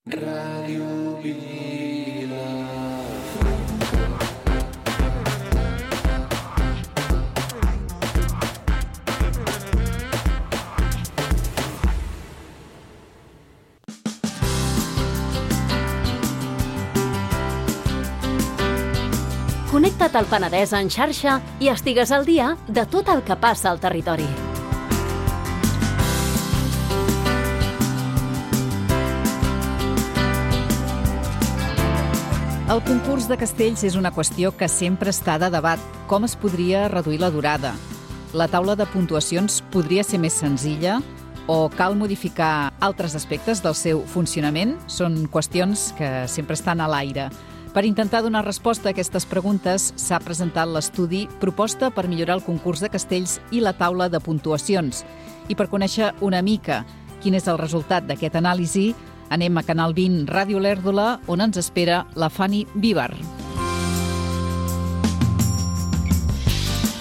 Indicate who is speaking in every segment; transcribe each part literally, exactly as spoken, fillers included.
Speaker 1: Ràdio Vila.
Speaker 2: Connecta't al Penedès en xarxa i estigues al dia de tot el que passa al territori.
Speaker 3: El concurs de castells és una qüestió que sempre està de debat. Com es podria reduir la durada? La taula de puntuacions podria ser més senzilla? O cal modificar altres aspectes del seu funcionament? Són qüestions que sempre estan a l'aire. Per intentar donar resposta a aquestes preguntes, s'ha presentat l'estudi Proposta per millorar el concurs de castells i la taula de puntuacions. I per conèixer una mica quin és el resultat d'aquest anàlisi, anem a Canal vint Ràdio Lèrdola, on ens espera la Fanny Víbar.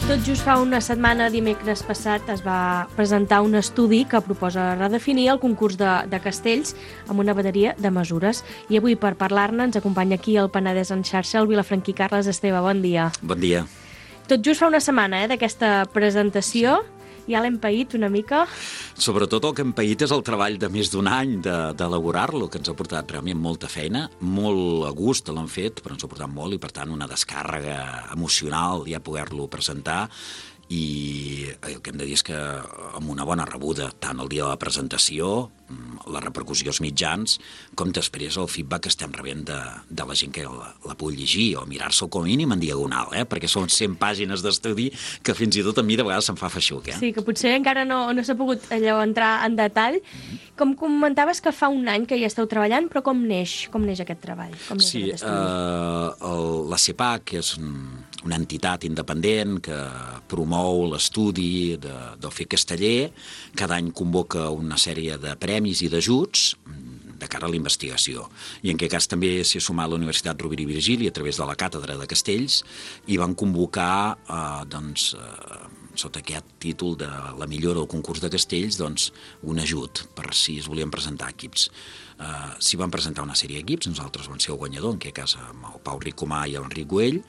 Speaker 4: Tot just fa una setmana, dimecres passat, es va presentar un estudi que proposa redefinir el concurs de, de castells amb una bateria de mesures. I avui, per parlar-ne, ens acompanya aquí el Penedès en xarxa, el vilafranquí Carles Esteve. Bon dia.
Speaker 5: Bon dia.
Speaker 4: Tot just fa una setmana eh, d'aquesta presentació. Ja l'hem paït una mica?
Speaker 5: Sobretot el que hem paït és el treball de més d'un any d'elaborar-lo, que ens ha portat realment molta feina, molt a gust l'han fet, però ens ha portat molt i, per tant, una descàrrega emocional ja poder-lo presentar. I el que hem de dir és que amb una bona rebuda, tant el dia de la presentació, la repercussió als mitjans, com després el feedback que estem rebent de, de la gent que la, la pugui llegir o mirar-se com a mínim en diagonal, eh? Perquè són cent pàgines d'estudi que fins i tot a mi de vegades se'm fa feixuc. Eh?
Speaker 4: Sí, que potser encara no, no s'ha pogut allò entrar en detall. Mm-hmm. Com comentaves que fa un any que hi esteu treballant, però com neix, com neix aquest treball? Com neix
Speaker 5: sí,
Speaker 4: aquest estudi?
Speaker 5: eh, el, la CEPAC és un, una entitat independent que promou l'estudi de, del fer casteller. Cada any convoca una sèrie de premis i d'ajuts de cara a la investigació. I en aquest cas també s'hi ha sumat la Universitat Rovira i Virgili a través de la Càtedra de Castells i van convocar, eh, doncs, eh, sota aquest títol de la millora del concurs de castells, doncs, un ajut per si es volien presentar equips. Uh, s'hi van presentar una sèrie d'equips, nosaltres vam ser el guanyador, en aquest cas amb el Pau Ricomà i l'Enric Güell,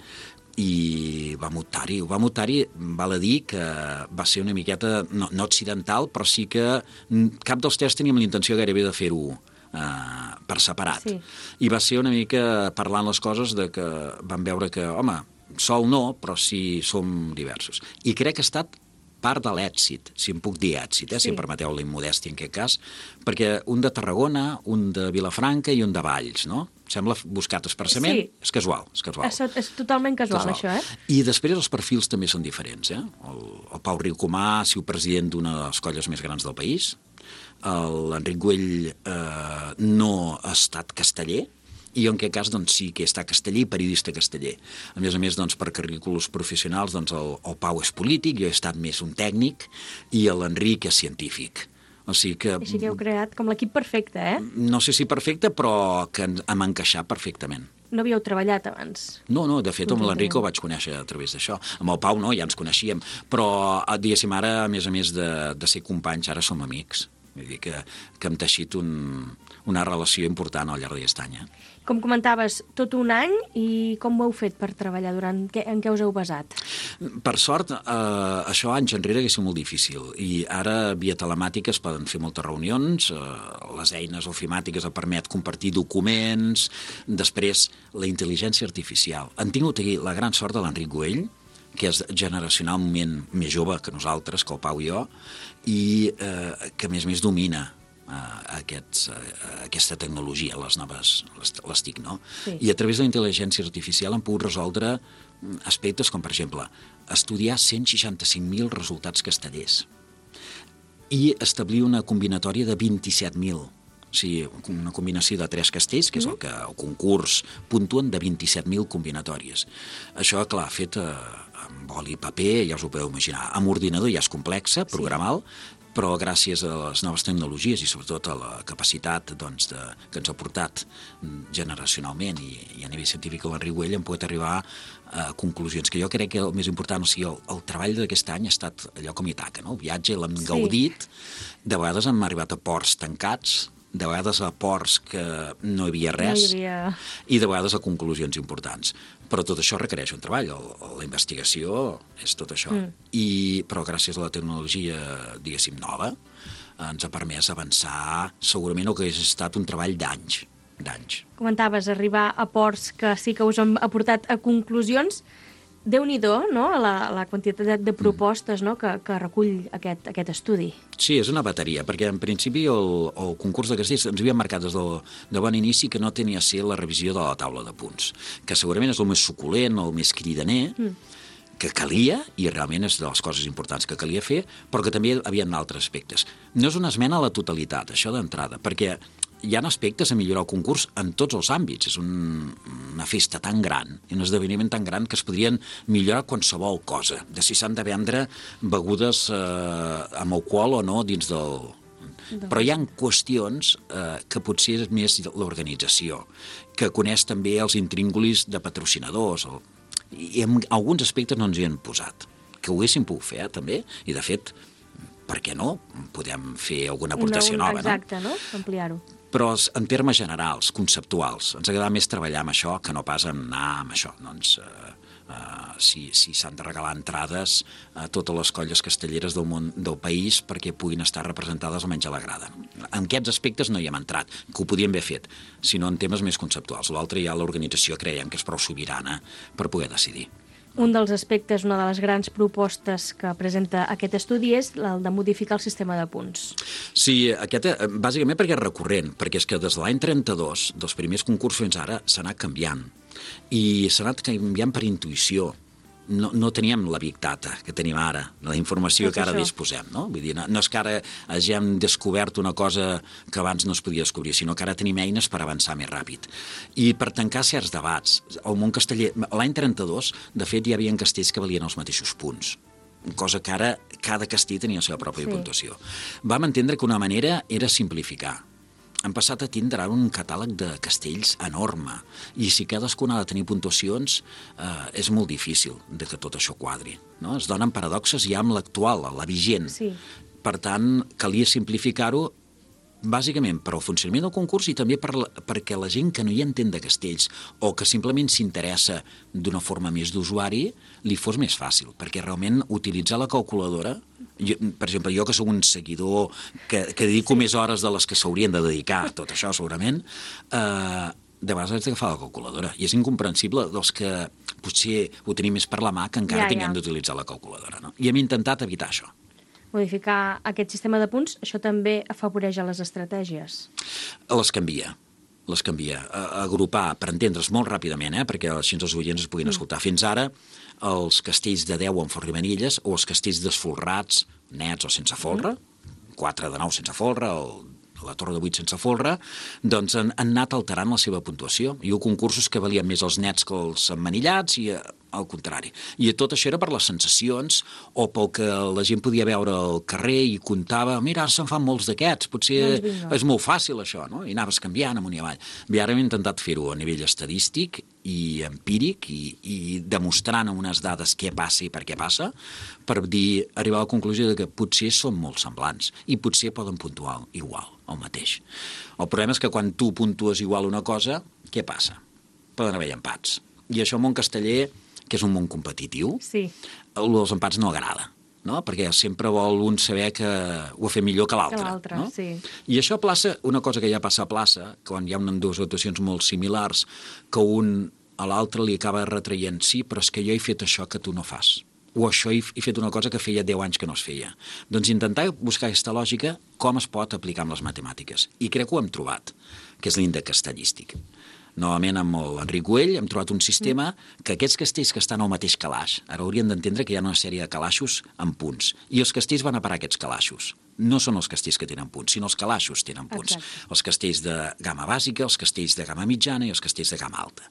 Speaker 5: i vam optar-hi. Vam optar-hi, val a dir que va ser una miqueta, no, no accidental, però sí que cap dels tres teníem la intenció gairebé de fer-ho uh, per separat. Sí. I va ser una mica parlant les coses de que vam veure que, home, sol no, però sí som diversos. I crec que ha estat part de l'èxit, si em puc dir èxit, eh? Sí. Si em permeteu la immodèstia en aquest cas, perquè un de Tarragona, un de Vilafranca i un de Valls, no? Sembla buscat expressament, sí. És casual. És, casual.
Speaker 4: És, és totalment casual, casual, això, eh?
Speaker 5: I després els perfils també són diferents, eh? El, el Pau Ricomà ha sigut president d'una de les colles més grans del país, l'Enric Güell eh, no ha estat casteller, i jo en aquest cas doncs, sí que està casteller i periodista casteller. A més a més, doncs, per currículos professionals, doncs, el, el Pau és polític, jo he estat més un tècnic, i l'Enric és científic. O sigui que...
Speaker 4: Així que heu creat com l'equip perfecte, eh?
Speaker 5: No sé si perfecte, però que hem encaixat perfectament.
Speaker 4: No havíeu treballat abans?
Speaker 5: No, no, de fet amb l'Enric ho vaig conèixer a través d'això. Amb el Pau no, ja ens coneixíem, però diguéssim ara, a més a més de, de ser companys, ara som amics. Vull dir que, que hem teixit un, una relació important al llarg d'aquest any. Eh?
Speaker 4: Com comentaves, tot un any, i com ho heu fet per treballar? Durant què, en què us heu basat?
Speaker 5: Per sort, eh, això anys enrere hauria sigut molt difícil, i ara via telemàtica es poden fer moltes reunions, eh, les eines ofimàtiques et permet compartir documents, després la intel·ligència artificial. Han tingut aquí la gran sort de l'Enric Güell, que és generacionalment més jove que nosaltres, que el Pau i jo, i eh, que a més a més domina eh, aquests, eh, aquesta tecnologia, les noves, les, les TIC, no? Sí. I a través de la intel·ligència artificial han pogut resoldre aspectes com, per exemple, estudiar cent seixanta-cinc mil resultats castellers i establir una combinatòria de vint-i-set mil. O sigui, una combinació de tres castells, que és el que el concurs puntuen, de vint-i-set mil combinatòries. Això, clar, fet eh, amb boli i paper, ja us ho podeu imaginar. Amb ordinador ja és complexa, programal, sí. Però gràcies a les noves tecnologies i sobretot a la capacitat doncs, de, que ens ha portat generacionalment i, i a nivell científic l'Enric Güell hem pogut arribar a conclusions que jo crec que el més important, o sigui, el, el treball d'aquest any ha estat allò com Ítaca, no? El viatge l'hem sí. gaudit, de vegades hem arribat a ports tancats, de vegades a ports que no hi havia res,
Speaker 4: no hi havia...
Speaker 5: i de vegades a conclusions importants. Però tot això requereix un treball, el, la investigació és tot això. Mm. I, però gràcies a la tecnologia, diguéssim, nova, ens ha permès avançar, segurament el que hagués estat un treball d'anys, d'anys.
Speaker 4: Comentaves arribar a ports que sí que us han aportat a conclusions. Déu-n'hi-do, no?, la, la quantitat de propostes, no?, que, que recull aquest, aquest estudi.
Speaker 5: Sí, és una bateria, perquè en principi el, el concurs de castells ens havien marcat des del, de bon inici que no tenia a ser la revisió de la taula de punts, que segurament és el més suculent, el més cridaner, mm. que calia, i realment és de les coses importants que calia fer, però que també hi havia altres aspectes. No és una esmena a la totalitat, això d'entrada, perquè hi ha aspectes a millorar el concurs en tots els àmbits. És un, una festa tan gran, un esdeveniment tan gran que es podrien millorar qualsevol cosa, de si s'han de vendre begudes eh, amb alcohol o no dins del... Però hi ha qüestions eh, que potser és més l'organització, que coneix també els intríngulis de patrocinadors, o... i en alguns aspectes no ens hi han posat, que ho haguéssim pogut fer, eh, també, i de fet, per què no? Podem fer alguna aportació
Speaker 4: Una, un,
Speaker 5: nova,
Speaker 4: exacte,
Speaker 5: no?
Speaker 4: no? Ampliar-ho.
Speaker 5: Però en termes generals, conceptuals, ens agrada més treballar amb això que no pas anar amb això. Doncs, eh, eh, si si s'han de regalar entrades a totes les colles castelleres del món del país perquè puguin estar representades almenys a la grada. En aquests aspectes no hi hem entrat, que ho podíem haver fet, sinó en temes més conceptuals. L'altre ja l'organització creiem que és prou sobirana per poder decidir.
Speaker 4: Un dels aspectes, una de les grans propostes que presenta aquest estudi és el de modificar el sistema de punts.
Speaker 5: Sí, aquest, bàsicament perquè és recurrent, perquè és que des de l'any trenta-dos, dels primers concursos fins ara, s'ha anat canviant. I s'ha anat canviant per intuïció. No, no teníem la big data que tenim ara, la informació que ara disposem, no? Vull dir, no, no és que ara hagin descobert una cosa que abans no es podia descobrir, sinó que ara tenim eines per avançar més ràpid. I per tancar certs debats. El món casteller, l'any trenta-dos, de fet, hi havia castells que valien els mateixos punts, cosa que ara cada castell tenia la seva pròpia sí. puntuació. Vam entendre que una manera era simplificar. Han passat a tindre un catàleg de castells enorme, i si cadascun ha de tenir puntuacions eh, és molt difícil de que tot això quadri. No? Es donen paradoxes ja amb l'actual, la vigent.
Speaker 4: Sí.
Speaker 5: Per tant, calia simplificar-ho bàsicament per al funcionament del concurs i també per la, perquè la gent que no hi entén de castells o que simplement s'interessa d'una forma més d'usuari li fos més fàcil, perquè realment utilitzar la calculadora, jo, per exemple, jo que sóc un seguidor que, que dedico sí. més hores de les que s'haurien de dedicar a tot això segurament, eh, de vegades haig d'agafar la calculadora i és incomprensible dels que potser ho tenim més per la mà que encara ja, tinguem ja. d'utilitzar la calculadora. No? I hem intentat evitar això.
Speaker 4: Modificar aquest sistema de punts, això també afavoreix a les estratègies?
Speaker 5: Les canvia. Les canvia. Agrupar, per entendre's molt ràpidament, eh? perquè així els oients es puguin escoltar. Fins ara, els castells de deu amb folre i manilles o els castells desfolrats, nets o sense folre, quatre de nou sense folre, el la torre de vuit sense folre, doncs han, han anat alterant la seva puntuació. Hi ha concursos que valien més els nets que els emmanillats i al contrari. I tot això era per les sensacions o pel que la gent podia veure al carrer i comptava, mira, ara se'n fan molts d'aquests, potser no és molt fàcil això, no? I anaves canviant amunt i avall. I ara hem intentat fer-ho a nivell estadístic i empíric i, i demostrant amb unes dades què passa i per què passa, per dir, arribar a la conclusió de que potser són molt semblants i potser poden puntuar igual, el mateix. El problema és que quan tu puntues igual una cosa, què passa? Poden haver empats. I això en món casteller, que és un món competitiu,
Speaker 4: sí.
Speaker 5: els empats no agrada, no? Perquè sempre vol un saber que ho ha fet millor que l'altre. No?
Speaker 4: Sí.
Speaker 5: I això a plaça, una cosa que ja passa a plaça, quan hi ha unes dues actuacions molt similars, que un a l'altre li acaba retraient, sí, però és que jo he fet això que tu no fas. O això he fet una cosa que feia deu anys que no es feia. Doncs intentar buscar aquesta lògica, com es pot aplicar amb les matemàtiques. I crec que ho hem trobat, que és l'índex castellístic. Novament amb l'Enric Güell hem trobat un sistema que aquests castells que estan al mateix calaix, ara haurien d'entendre que hi ha una sèrie de calaixos amb punts, i els castells van a parar aquests calaixos. No són els castells que tenen punts, sinó els calaixos tenen punts. Exacte. Els castells de gamma bàsica, els castells de gamma mitjana i els castells de gamma alta.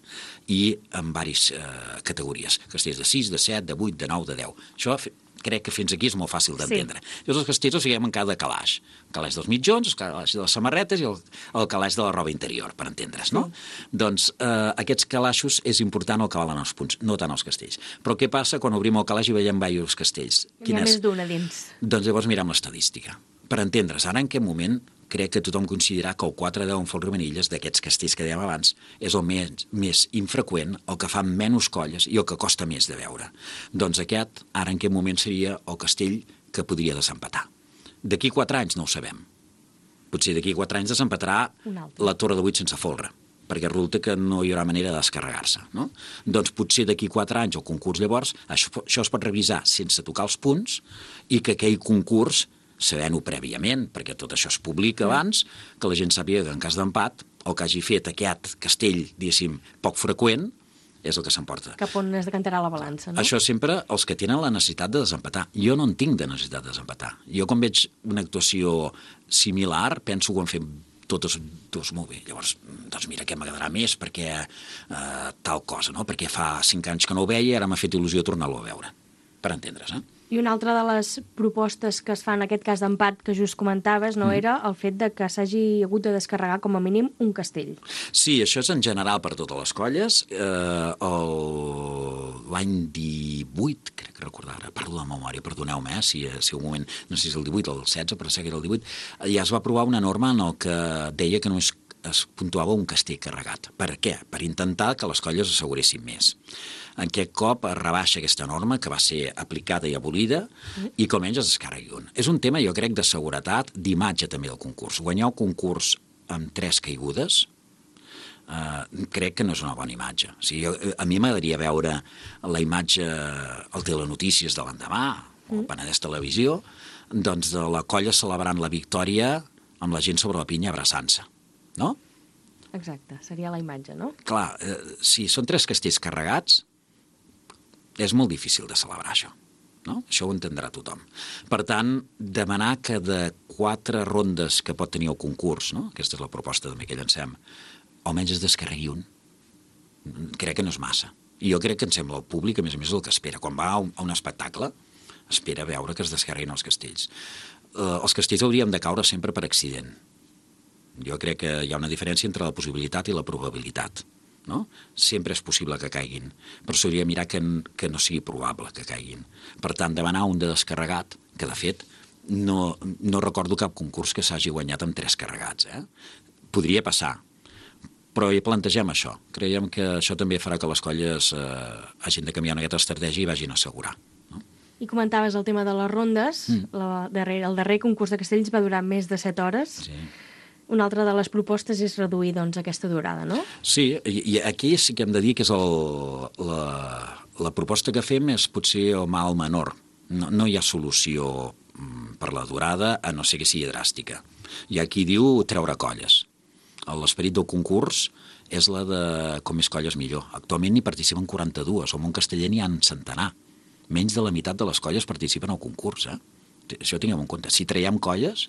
Speaker 5: I en diverses eh, categories. Castells de sis, de set, de vuit, de nou, de deu. Això crec que fins aquí és molt fàcil d'entendre. Sí. Llavors els castells els fiquem en cada calaix. El calaix dels mitjons, el calaix de les samarretes i el, el calaix de la roba interior, per entendre's, no? Sí. Doncs eh, aquests calaixos és important el que valen els punts, no tant els castells. Però què passa quan obrim el calaix i veiem diversos castells?
Speaker 4: Hi ha més d'una dins.
Speaker 5: Doncs llavors mirem l'estadística. Per entendre's, ara en què moment crec que tothom considerarà que el quatre deu en Folre-Manilles, d'aquests castells que dèiem abans, és el més, més infreqüent, el que fa menys colles i el que costa més de veure. Doncs aquest, ara en aquest moment seria el castell que podria desempatar. D'aquí quatre anys no ho sabem. Potser d'aquí quatre anys desempatarà la Torre de Vuit sense folre, perquè resulta que no hi haurà manera de descarregar-se, no? Doncs potser d'aquí quatre anys el concurs llavors, això, això es pot revisar sense tocar els punts i que aquell concurs, sabent-ho prèviament, perquè tot això es publica abans, que la gent sàpiga que en cas d'empat, el que hagi fet aquest castell, diguéssim, poc freqüent, és el que s'emporta.
Speaker 4: Cap on es decantarà la balança, no?
Speaker 5: Això sempre els que tenen la necessitat de desempatar. Jo no en tinc de necessitat de desempatar. Jo quan veig una actuació similar, penso que ho han fet totes dos molt bé. Llavors, doncs mira, què m'agradarà més, perquè eh, tal cosa, no? Perquè fa cinc anys que no ho veia i ara m'ha fet il·lusió tornar-lo a veure. Per entendre's, eh?
Speaker 4: I una altra de les propostes que es fa en aquest cas d'empat que just comentaves, no, mm. era el fet de que s'hagi hagut de descarregar com a mínim un castell.
Speaker 5: Sí, això és en general per totes les colles. Eh, L'any divuit, crec que recordar, ara parlo de memòria, perdoneu-me, eh, si, si un moment, no sé si és el divuit o el setze, però sé que era el divuit, ja es va aprovar una norma en el que deia que només es puntuava un castell carregat. Per què? Per intentar que les colles asseguressin més. En aquest cop es rebaixa aquesta norma que va ser aplicada i abolida i que almenys es descarregui un. És un tema, jo crec, de seguretat, d'imatge també del concurs. Guanyar un concurs amb tres caigudes eh, crec que no és una bona imatge. O sigui, a mi m'agradaria veure la imatge al Telenotícies de l'endemà, o al Penedès Televisió, doncs de la colla celebrant la victòria amb la gent sobre la pinya abraçant-se, no?
Speaker 4: Exacte, seria la imatge, no?
Speaker 5: Clar, eh, si són tres castells carregats, és molt difícil de celebrar això, no? Això ho entendrà tothom. Per tant, demanar que de quatre rondes que pot tenir el concurs, no? Aquesta és la proposta també que llancem, almenys es descarregui un. Crec que no és massa. I jo crec que em sembla el públic, a més a més, el que espera. Quan va a un, a un espectacle, espera veure que es descarreguin els castells. Eh, els castells hauríem de caure sempre per accident. Jo crec que hi ha una diferència entre la possibilitat i la probabilitat. No? Sempre és possible que caiguin, però s'hauria de mirar que, que no sigui probable que caiguin. Per tant, demanar un de descarregat, que de fet no, no recordo cap concurs que s'hagi guanyat amb tres carregats. Eh? Podria passar, però hi plantegem això. Creiem que això també farà que les colles eh, hagin de canviar aquesta estratègia i vagin a assegurar. No?
Speaker 4: I comentaves el tema de les rondes. Mm. La darrere, el darrer concurs de castells va durar més de set hores. Sí. Una altra de les propostes és reduir, doncs, aquesta durada, no?
Speaker 5: Sí, i, i aquí sí que hem de dir que és el, la, la proposta que fem és potser el mal menor. No, no hi ha solució per la durada, a no ser que sigui dràstica. Hi ha qui diu treure colles. L'esperit del concurs és la de com més colles millor. Actualment hi participen quaranta-dues, o en un casteller n'hi ha un centenar. Menys de la meitat de les colles participen al concurs, eh? Això ho tinguem en compte. Si traiem colles...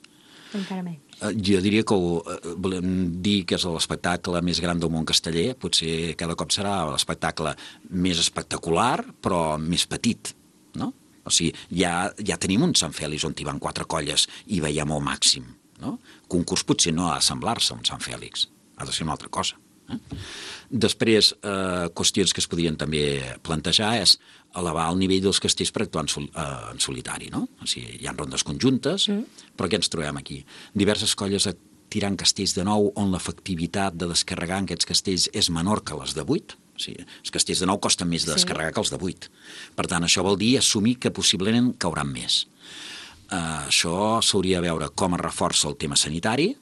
Speaker 4: Encara menys.
Speaker 5: Jo diria que ho, volem dir que és l'espectacle més gran del món casteller, potser cada cop serà l'espectacle més espectacular, però més petit, no? O sigui, ja, ja tenim un Sant Fèlix on hi van quatre colles i veiem el màxim, no? Concurs potser no ha d'assemblar-se a un Sant Fèlix, ha de ser una altra cosa. Eh? Després, eh, qüestions que es podien també plantejar és elevar el nivell dels castells per actuar en, sol, eh, en solitari, no? O sigui, hi ha rondes conjuntes, mm. però què ens trobem aquí? Diverses colles tirant castells de nou on l'efectivitat de descarregar en aquests castells és menor que les de vuit. O sigui, els castells de nou costen més de descarregar sí. que els de vuit. Per tant, això vol dir assumir que possiblement cauran més. Uh, això s'hauria de veure com es reforça el tema sanitari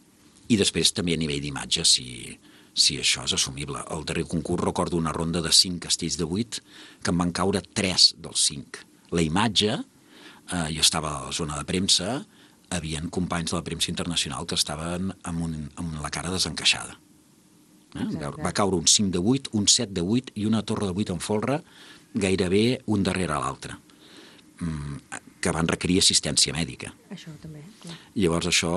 Speaker 5: i després també a nivell d'imatge, si... si això és assumible. El darrer concurs recordo una ronda de cinc castells de vuit que en van caure tres dels cinc. La imatge, eh, jo estava a la zona de premsa, havien companys de la premsa internacional que estaven amb, un, amb la cara desencaixada. Eh? Va caure un cinc de vuit, un set de vuit i una torre de vuit en folre gairebé un darrere l'altre, que van requerir assistència mèdica.
Speaker 4: Això també, clar.
Speaker 5: Llavors això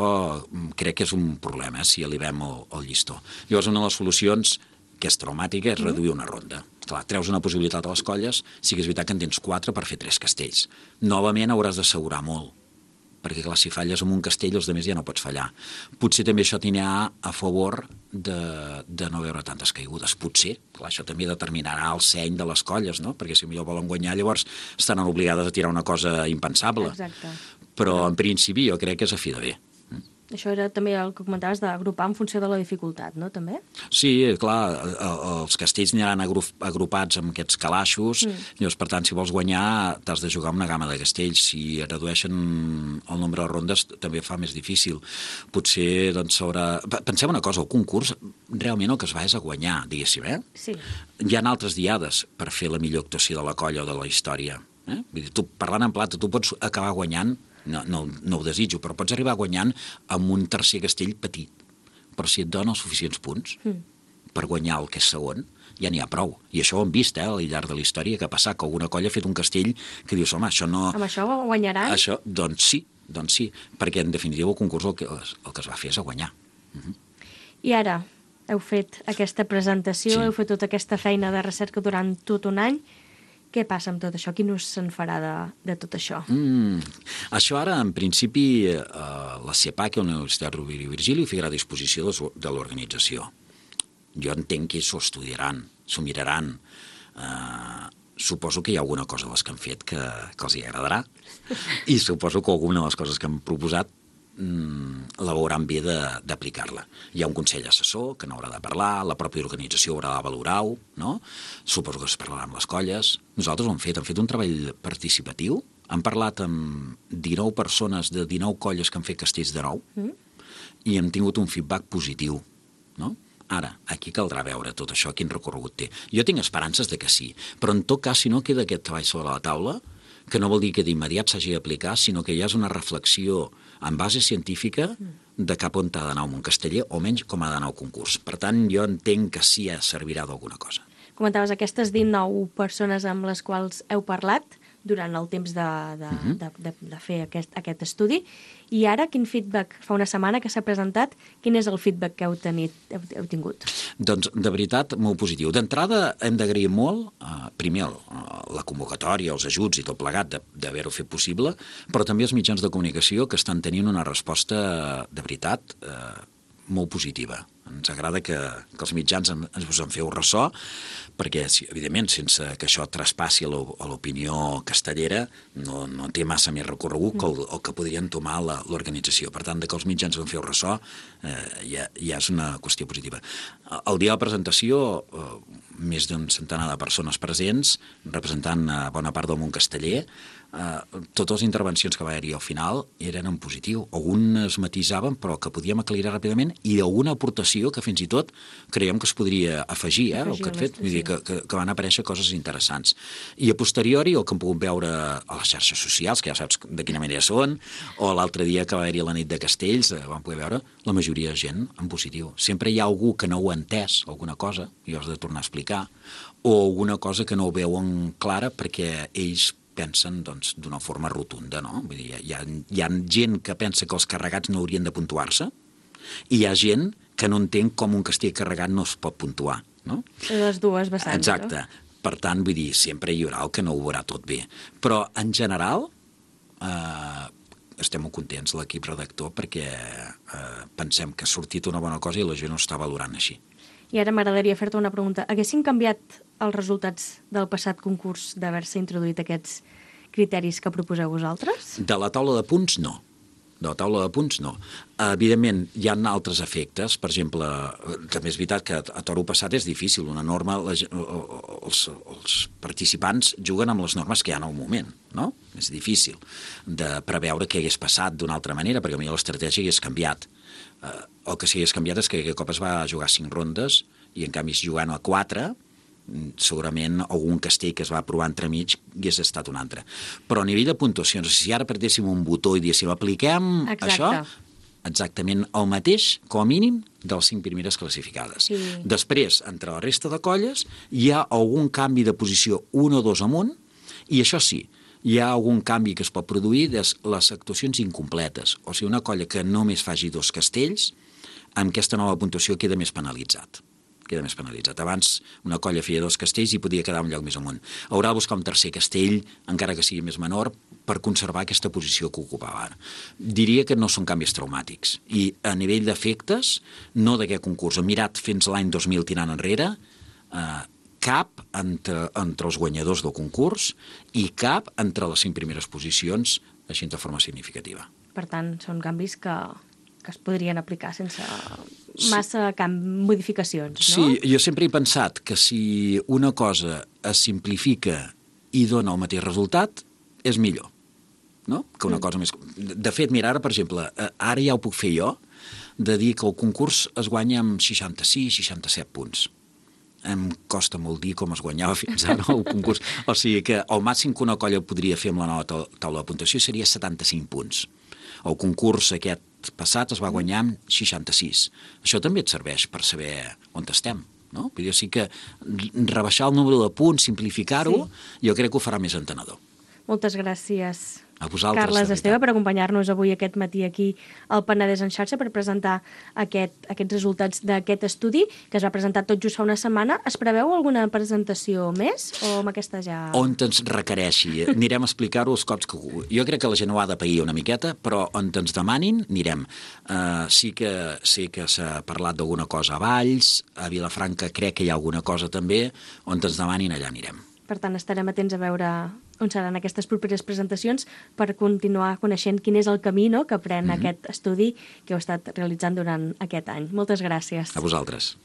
Speaker 5: crec que és un problema, eh, si elevem el, el llistó. Llavors una de les solucions, que és traumàtica, és mm. reduir una ronda. Clar, treus una possibilitat a les colles, sí que és veritat que en tens quatre per fer tres castells. Novament hauràs d'assegurar molt, perquè clar, si falles amb un castell, els altres ja no pots fallar. Potser també això tindrà a favor de, de no veure tantes caigudes. Potser, clar, això també determinarà el seny de les colles, no? Perquè si millor volen guanyar, llavors estaran obligades a tirar una cosa impensable.
Speaker 4: Exacte.
Speaker 5: Però en principi jo crec que és a fi de bé.
Speaker 4: Això era també el que comentaves d'agrupar en funció de la dificultat, no, també?
Speaker 5: Sí, clar, els castells aniran agrupats amb aquests calaixos, mm. llavors, per tant, si vols guanyar, t'has de jugar amb una gamma de castells. Si redueixen el nombre de rondes, també fa més difícil. Potser, doncs, sobre... Pensem una cosa, el concurs, realment el que es va és a guanyar, diguéssim, eh?
Speaker 4: Sí.
Speaker 5: Hi ha altres diades per fer la millor actuació de la colla o de la història. Eh? Vull dir, tu, parlant en plata, tu pots acabar guanyant. No, no, no ho desitjo, però pots arribar guanyant amb un tercer castell petit. Però si et dona els suficients punts mm. per guanyar el que és segon, ja n'hi ha prou. I això ho hem vist, eh, al llarg de la història, que ha passat, que alguna colla ha fet un castell que dius, home, això no...
Speaker 4: Amb això guanyaran?
Speaker 5: Això, doncs sí, doncs sí, perquè en definitiva el concurs el que, el que es va fer és a guanyar. Uh-huh.
Speaker 4: I ara heu fet aquesta presentació, sí. heu fet tota aquesta feina de recerca durant tot un any. Què passa amb tot això? Quin ús se'n farà de, de tot això?
Speaker 5: Mm, això ara, en principi, eh, la CEPAC, la Universitat Rovira i Virgili, ho ficarà a disposició de, de l'organització. Jo entenc que s'ho estudiaran, s'ho miraran. Eh, suposo que hi ha alguna cosa de les que han fet que, que els hi agradarà i suposo que alguna de les coses que han proposat la veuran bé d'aplicar-la. Hi ha un consell assessor que n'haurà de parlar, la pròpia organització haurà de valorar-ho, no? Suposo que es parlarà amb les colles. Nosaltres ho hem fet, hem fet un treball participatiu, hem parlat amb dinou persones de dinou colles que han fet castells de nou mm. i hem tingut un feedback positiu, no? Ara, aquí caldrà veure tot això, quin recorregut té. Jo tinc esperances de que sí, però en tot cas, si no queda aquest treball sobre la taula, que no vol dir que d'immediat s'hagi d'aplicar, sinó que hi ha una reflexió en base científica de cap on ha d'anar un casteller, o menys com ha d'anar el concurs. Per tant, jo entenc que sí que servirà d'alguna cosa.
Speaker 4: Comentaves aquestes dinou persones amb les quals heu parlat durant el temps de, de, uh-huh. de, de, de fer aquest, aquest estudi, i ara quin feedback, fa una setmana que s'ha presentat, quin és el feedback que heu, tenit, heu, heu tingut?
Speaker 5: Doncs, de veritat, molt positiu. D'entrada, hem d'agrair molt, eh, primer, la convocatòria, els ajuts i tot plegat d'haver-ho fet possible, però també els mitjans de comunicació que estan tenint una resposta, de veritat, eh, molt positiva. Ens agrada que, que els mitjans en, ens en feu ressò, perquè, evidentment, sense que això traspassi a l'opinió castellera, no, no té massa més recorregut que el, el que podrien tomar l'organització. Per tant, que els mitjans en feu ressò eh, ja, ja és una qüestió positiva. El dia de la presentació, eh, més d'un centenar de persones presents, representant a bona part del món casteller, eh, totes les intervencions que va haver-hi al final eren en positiu. Algunes matisaven, però que podíem aclarir ràpidament, i alguna aportació que fins i tot creiem que es podria afegir, eh, el que han fet. Vull dir, que, que, que van aparèixer coses interessants. I a posteriori, el que hem pogut veure a les xarxes socials, que ja saps de quina manera són, o l'altre dia que va haver-hi la nit de Castells, eh, vam poder veure la majoria de gent en positiu. Sempre hi ha algú que no ho ha entès, alguna cosa, i ho has de tornar a explicar, o alguna cosa que no ho veuen clara perquè ells pensen doncs, d'una forma rotunda, no? Vull dir, hi ha, hi ha gent que pensa que els carregats no haurien de puntuar-se, i hi ha gent que no entén com un castell carregat no es pot puntuar, no?
Speaker 4: Les dues vessants.
Speaker 5: Exacte. No? Per tant, vull dir, sempre hi haurà el que no ho veurà tot bé. Però, en general, eh, estem molt contents, l'equip redactor, perquè eh, pensem que ha sortit una bona cosa i la gent ho està valorant així.
Speaker 4: I ara m'agradaria fer-te una pregunta. Haguessin canviat els resultats del passat concurs d'haver-se introduït aquests criteris que proposeu vosaltres?
Speaker 5: De la taula de punts, no. De la taula de punts, no. Evidentment, hi ha altres efectes. Per exemple, també és veritat que a toro passat és difícil. Una norma, la, els, els participants juguen amb les normes que hi ha en el moment, no? És difícil de preveure què hagués passat d'una altra manera, perquè potser l'estratègia hagués canviat. Eh, el que sí que hagués canviat és que aquest cop es va jugar cinc rondes i en canvi jugant a quatre, segurament algun castell que es va provar entremig hagués estat un altre. Però a nivell de puntuacions, si ara apretéssim un botó i diguéssim apliquem Exacte. Això, exactament el mateix, com a mínim, de les cinc primeres classificades.
Speaker 4: Sí.
Speaker 5: Després, entre la resta de colles, hi ha algun canvi de posició un o dos amunt, i això sí, hi ha algun canvi que es pot produir de les actuacions incompletes. O sigui, una colla que només faci dos castells, amb aquesta nova puntuació queda més penalitzat. queda més penalitzat. Abans una colla feia dos castells i podia quedar un lloc més amunt. Haurà de buscar un tercer castell, encara que sigui més menor, per conservar aquesta posició que ocupava ara. Diria que no són canvis traumàtics. I a nivell d'efectes, no d'aquest concurs. He mirat fins l'any dos mil tirant enrere, eh, cap entre, entre els guanyadors del concurs i cap entre les cinc primeres posicions, així de forma significativa.
Speaker 4: Per tant, són canvis que, que es podrien aplicar sense massa camp, modificacions, no?
Speaker 5: Sí, jo sempre he pensat que si una cosa es simplifica i dona el mateix resultat, és millor, no? Que una mm. cosa més... De fet, mira, ara, per exemple, ara ja ho puc fer jo, de dir que el concurs es guanya amb seixanta-sis, seixanta-set punts. Em costa molt dir com es guanyava fins ara el concurs. O sigui que el màxim que una colla podria fer amb la nova taula de puntuació seria setanta-cinc punts. El concurs aquest passat es va guanyar amb seixanta-sis. Això també et serveix per saber on estem, no? Vull dir, o sigui que rebaixar el número de punts, simplificar-ho, sí. Jo crec que ho farà més entenedor.
Speaker 4: Moltes gràcies,
Speaker 5: a vosaltres,
Speaker 4: Carles Esteve, per acompanyar-nos avui aquest matí aquí al Penedès en xarxa per presentar aquest, aquests resultats d'aquest estudi que es va presentar tot just fa una setmana. Es preveu alguna presentació més o amb aquesta ja...
Speaker 5: On ens requereixi. Anirem a explicar-ho els cops que... Jo crec que la gent ho ha de pair una miqueta, però on ens demanin, anirem. Uh, sí que sé que s'ha parlat d'alguna cosa a Valls, a Vilafranca crec que hi ha alguna cosa també, on ens demanin allà anirem.
Speaker 4: Per tant, estarem atents a veure on seran aquestes properes presentacions per continuar coneixent quin és el camí, no?, que pren mm-hmm. aquest estudi que heu estat realitzant durant aquest any. Moltes gràcies.
Speaker 5: A vosaltres.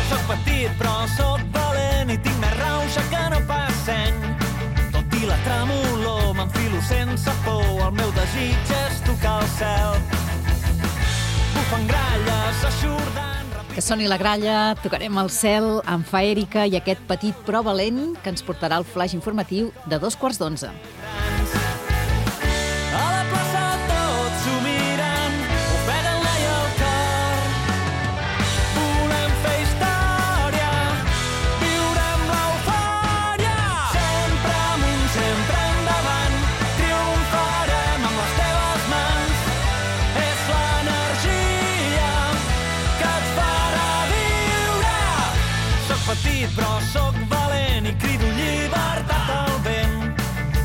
Speaker 6: Soc petit però soc valent i tinc més rauxa que no pas seny. Tot i la tremolor m'enfilo sense por, el meu desig és tocar el cel. Bufen gralles, eixordant...
Speaker 3: Que soni la gralla, tocarem el cel amb Fa Èrica i aquest petit però valent que ens portarà el flaix informatiu de dos quarts d'onze.
Speaker 6: A la plaça tots s'ho miren, ofeguen l'ai al cor. Volem fer història, viurem l'eufòria. Sempre amunt, sempre endavant, triomfarem amb les teves mans. És l'energia que et farà viure. Soc petit però soc valent i crido llibertat al vent.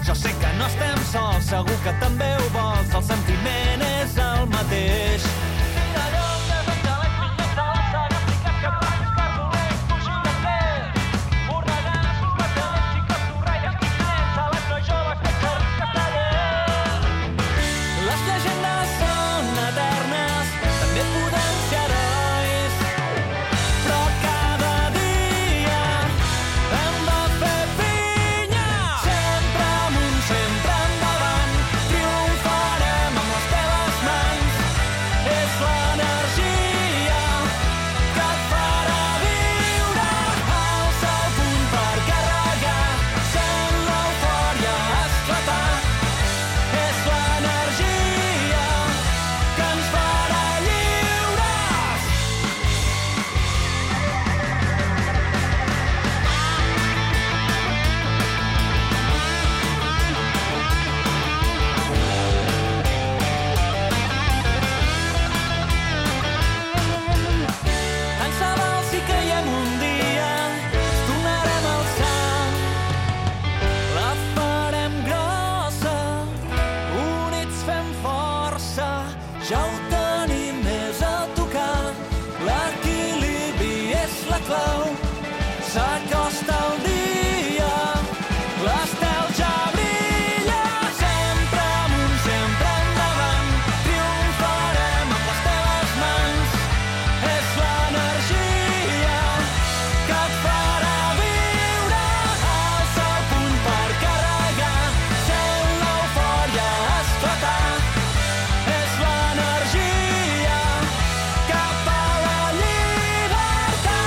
Speaker 6: Jo sé que no estem sols, segur que també ho vols, el sentiment és el mateix. Les llegendes són eternes, també podem ser herois, però cada dia hem de fer pinya. Sempre amunt, sempre endavant, triomfarem amb les teves mans. És l'energia que et farà viure. Alça el punt per carregar, sent l'eufòria esclatar. És l'energia que ens farà lliures. Tant se val si caiem un dia, ens tornarem a alçar. La farem grossa, units fem força, ja ho tenim més a tocar. L'equilibri és la clau, s'acosta el dia, l'estel ja brilla. Sempre amunt, sempre endavant, triomfarem amb les teves mans. És l'energia que et farà viure. Alça el punt per carregar, sent l'eufòria esclatar. És l'energia cap a la llibertat.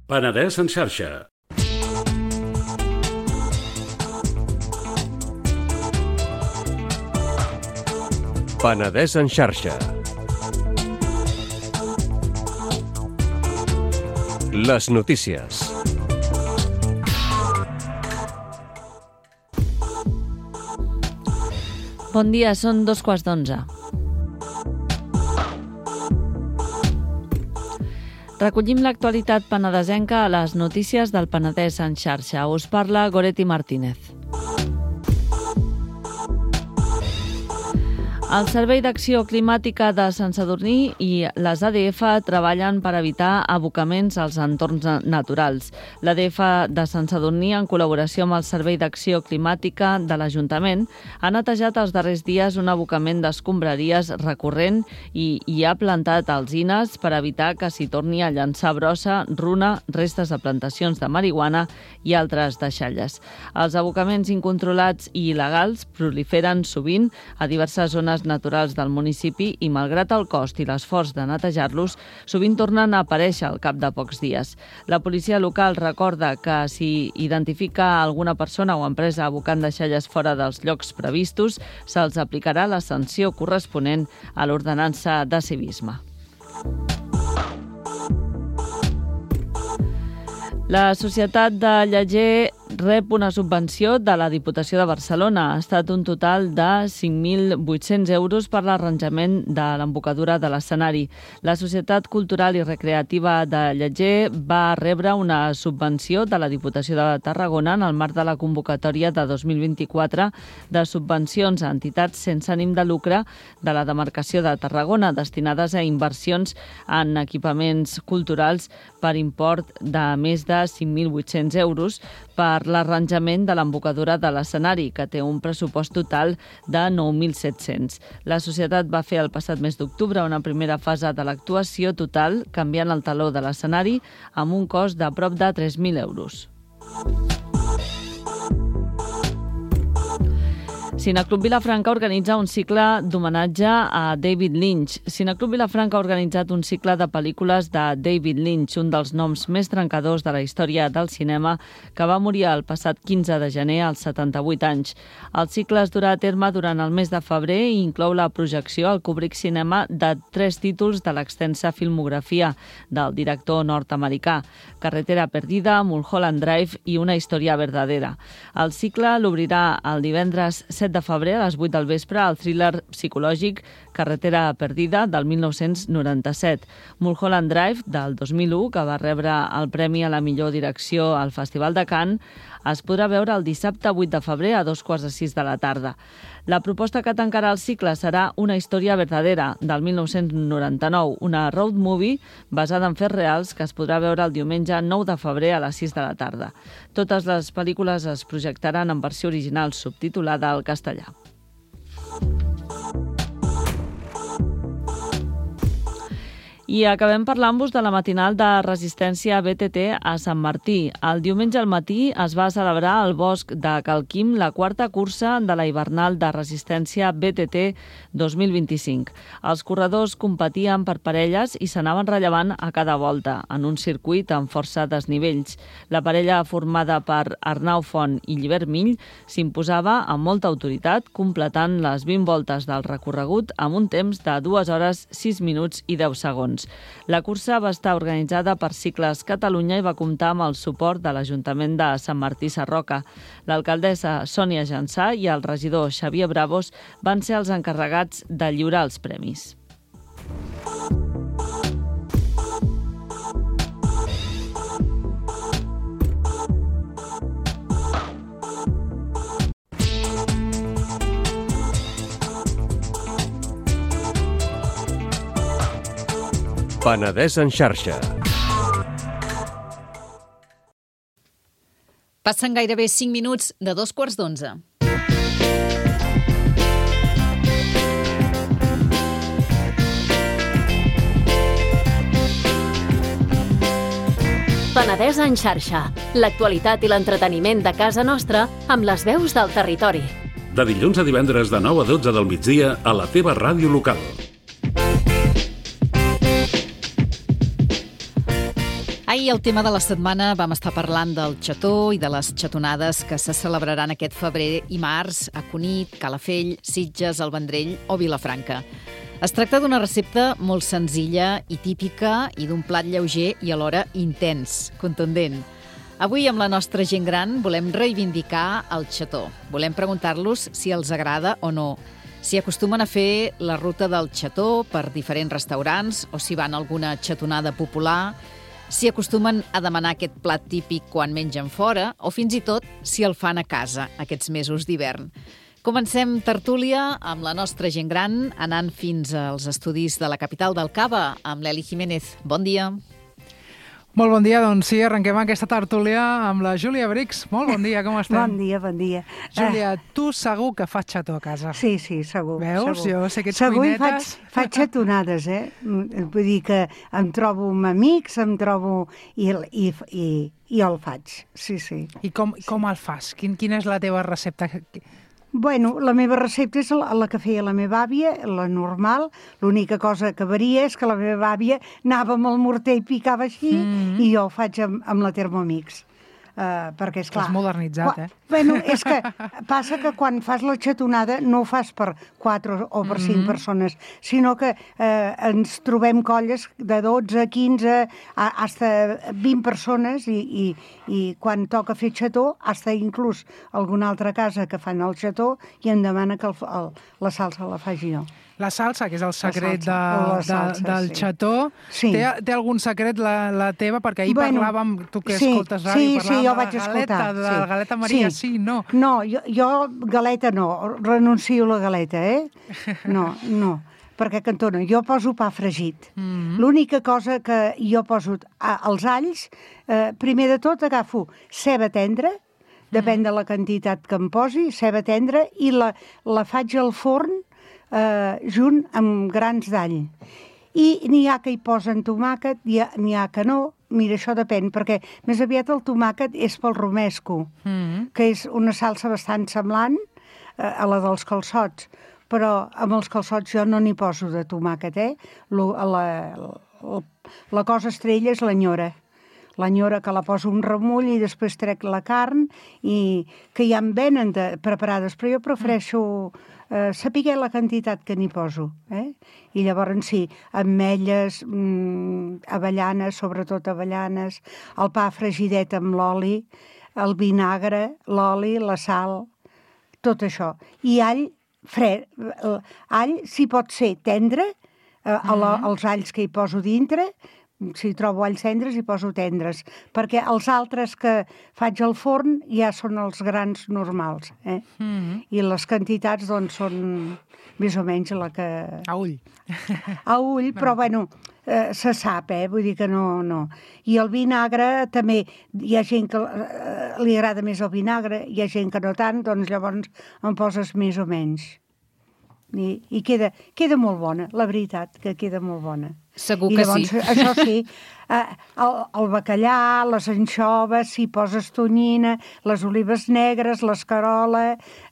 Speaker 7: Penedès en xarxa.
Speaker 8: Penedès en xarxa. Les notícies.
Speaker 9: Bon dia, són dos quarts d'onze. Recollim l'actualitat penedesenca a les notícies del Penedès en xarxa. Us parla Goretti Martínez. El Servei d'Acció Climàtica de Sant Sadurní i les A D F treballen per evitar abocaments als entorns naturals. L'A D F de Sant Sadurní, en col·laboració amb el Servei d'Acció Climàtica de l'Ajuntament, ha netejat els darrers dies un abocament d'escombraries recurrent i hi ha plantat alzines per evitar que s'hi torni a llançar brossa, runa, restes de plantacions de marihuana i altres deixalles. Els abocaments incontrolats i il·legals proliferen sovint a diverses zones naturals del municipi i, malgrat el cost i l'esforç de netejar-los, sovint tornen a aparèixer al cap de pocs dies. La policia local recorda que si identifica alguna persona o empresa abocant deixalles fora dels llocs previstos, se'ls aplicarà la sanció corresponent a l'ordenança de civisme. La Societat de Lleger rep una subvenció de la Diputació de Barcelona. Ha estat un total de cinc mil vuit-cents euros per l'arranjament de l'embocadura de l'escenari. La Societat Cultural i Recreativa de Lleger va rebre una subvenció de la Diputació de Tarragona en el marc de la convocatòria de dos mil vint-i-quatre de subvencions a entitats sense ànim de lucre de la demarcació de Tarragona, destinades a inversions en equipaments culturals per import de més de cinc mil vuit-cents euros per l'arranjament de l'embocadura de l'escenari, que té un pressupost total de nou mil set-cents. La societat va fer el passat mes d'octubre una primera fase de l'actuació total, canviant el taló de l'escenari amb un cost de prop de tres mil euros. Cineclub Vilafranca organitza un cicle d'homenatge a David Lynch. Cineclub Vilafranca ha organitzat un cicle de pel·lícules de David Lynch, un dels noms més trencadors de la història del cinema, que va morir el passat quinze de gener als setanta-vuit anys. El cicle es durà a terme durant el mes de febrer i inclou la projecció al Kubrick Cinema de tres títols de l'extensa filmografia del director nord-americà: Carretera perdida, Mulholland Drive i Una història verdadera. El cicle l'obrirà el divendres set de febrer a les vuit del vespre el thriller psicològic Carretera perdida del mil nou-cents noranta-set. Mulholland Drive del dos mil u, que va rebre el premi a la millor direcció al Festival de Cannes, es podrà veure el dissabte vuit de febrer a dos quarts de sis de la tarda. La proposta que tancarà el cicle serà Una història verdadera del mil nou-cents noranta-nou, una road movie basada en fets reals que es podrà veure el diumenge nou de febrer a les sis de la tarda. Totes les pel·lícules es projectaran en versió original subtitulada al castellà. I acabem parlant-vos de la matinal de resistència B T T a Sant Martí. El diumenge al matí es va celebrar al bosc de Cal Quim la quarta cursa de la hivernal de resistència B T T dos mil vint-i-cinc. Els corredors competien per parelles i s'anaven rellevant a cada volta, en un circuit amb força desnivells. La parella formada per Arnau Font i Llibert Mill s'imposava amb molta autoritat, completant les vint voltes del recorregut amb un temps de dues hores, sis minuts i deu segons. La cursa va estar organitzada per Cicles Catalunya i va comptar amb el suport de l'Ajuntament de Sant Martí Sarroca. L'alcaldessa Sònia Jansà i el regidor Xavier Bravos van ser els encarregats de lliurar els premis.
Speaker 8: Penedès en xarxa.
Speaker 3: Passen gairebé cinc minuts de dos quarts d'onze.
Speaker 2: Penedès en xarxa. L'actualitat i l'entreteniment de casa nostra amb les veus del territori.
Speaker 7: De dilluns a divendres de nou a dotze del migdia a la teva ràdio local.
Speaker 3: Ahir, al tema de la setmana, vam estar parlant del xató i de les xatonades que se celebraran aquest febrer i març a Cunit, Calafell, Sitges, el Vendrell o Vilafranca. Es tracta d'una recepta molt senzilla i típica i d'un plat lleuger i alhora intens, contundent. Avui, amb la nostra gent gran, volem reivindicar el xató. Volem preguntar-los si els agrada o no, Si acostumen a fer la ruta del xató per diferents restaurants o si van a alguna xatonada popular, si acostumen a demanar aquest plat típic quan mengen fora o fins i tot si el fan a casa aquests mesos d'hivern. Comencem tertúlia amb la nostra gent gran, anant fins als estudis de la capital del Cava, amb l'Eli Jiménez. Bon dia.
Speaker 10: Molt bon dia, doncs sí, arrenquem aquesta tertúlia amb la Júlia Brix. Molt bon dia, com estem?
Speaker 11: Bon dia, bon dia.
Speaker 10: Júlia, tu segur que fas xató a casa.
Speaker 11: Sí, sí, segur.
Speaker 10: Veus?
Speaker 11: Segur.
Speaker 10: Jo sé que ets
Speaker 11: segur
Speaker 10: cuinetes.
Speaker 11: Faig, faig xatonades, eh? Vull dir que em trobo amb amics, em trobo... I, i, i, i el faig, sí, sí.
Speaker 10: I com, com el fas? Quin, quina és la teva recepta?
Speaker 11: Bueno, la meva recepta és la, la que feia la meva àvia, la normal. L'única cosa que varia és que la meva àvia anava amb el morter i picava així, mm-hmm. i jo ho faig amb, amb la Thermomix. Uh, perquè, esclar...
Speaker 10: T'has modernitzat, eh?
Speaker 11: Bueno, és que passa que quan fas la xatonada no ho fas per quatre o per cinc mm-hmm. persones, sinó que eh, ens trobem colles de dotze, quinze, fins a vint persones i, i, i quan toca fer xató, fins a inclús alguna altra casa que fan el xató i em demana que el, el, la salsa la faci jo.
Speaker 10: La salsa, que és el secret de,
Speaker 11: salsa,
Speaker 10: de, del
Speaker 11: sí.
Speaker 10: xató,
Speaker 11: sí.
Speaker 10: té, té algun secret la, la teva? Perquè ahir
Speaker 11: bueno,
Speaker 10: parlàvem, tu que
Speaker 11: sí,
Speaker 10: escoltes ràdio,
Speaker 11: sí,
Speaker 10: parlàvem
Speaker 11: sí, jo
Speaker 10: de
Speaker 11: vaig
Speaker 10: la galeta,
Speaker 11: escoltar,
Speaker 10: de
Speaker 11: sí.
Speaker 10: la galeta Maria, sí, sí no?
Speaker 11: No, jo, jo galeta no, renuncio a la galeta, eh? No, no, perquè cantona, jo poso pa fregit. Mm-hmm. L'única cosa que jo poso als alls, eh, primer de tot agafo ceba tendra, depèn de la quantitat que em posi, ceba tendra, i la, la faig al forn, Uh, junt amb grans d'all. I n'hi ha que hi posen tomàquet, n'hi ha que no. Mira, això depèn, perquè més aviat el tomàquet és pel romesco, mm-hmm. que és una salsa bastant semblant uh, a la dels calçots, però amb els calçots jo no n'hi poso de tomàquet, eh? Lo, la, la, la cosa estrella és l'enyora. L'enyora que la poso un remull i després trec la carn, i que ja en venen de, preparades, però jo prefereixo eh, saber la quantitat que n'hi poso. Eh? I llavors sí, ametlles, mmm, avellanes, sobretot avellanes, el pa fregidet amb l'oli, el vinagre, l'oli, la sal, tot això. I all fred, all si pot ser tendre, eh, mm-hmm. els alls que hi poso dintre, si trobo alls tendres hi poso tendres, perquè els altres que faig al forn ja són els grans normals, eh? Mm-hmm. I les quantitats doncs són més o menys la que...
Speaker 10: A ull.
Speaker 11: A ull, però bueno, eh, se sap, eh? Vull dir que no, no. I el vinagre també, hi ha gent que eh, li agrada més el vinagre, hi ha gent que no tant, doncs llavors en poses més o menys. I, i queda, queda molt bona, la veritat, que queda molt bona.
Speaker 3: Segur
Speaker 11: I
Speaker 3: que
Speaker 11: llavors,
Speaker 3: sí.
Speaker 11: Això sí, eh, el, el bacallà, les anxoves, si poses tonyina, les olives negres, l'escarola,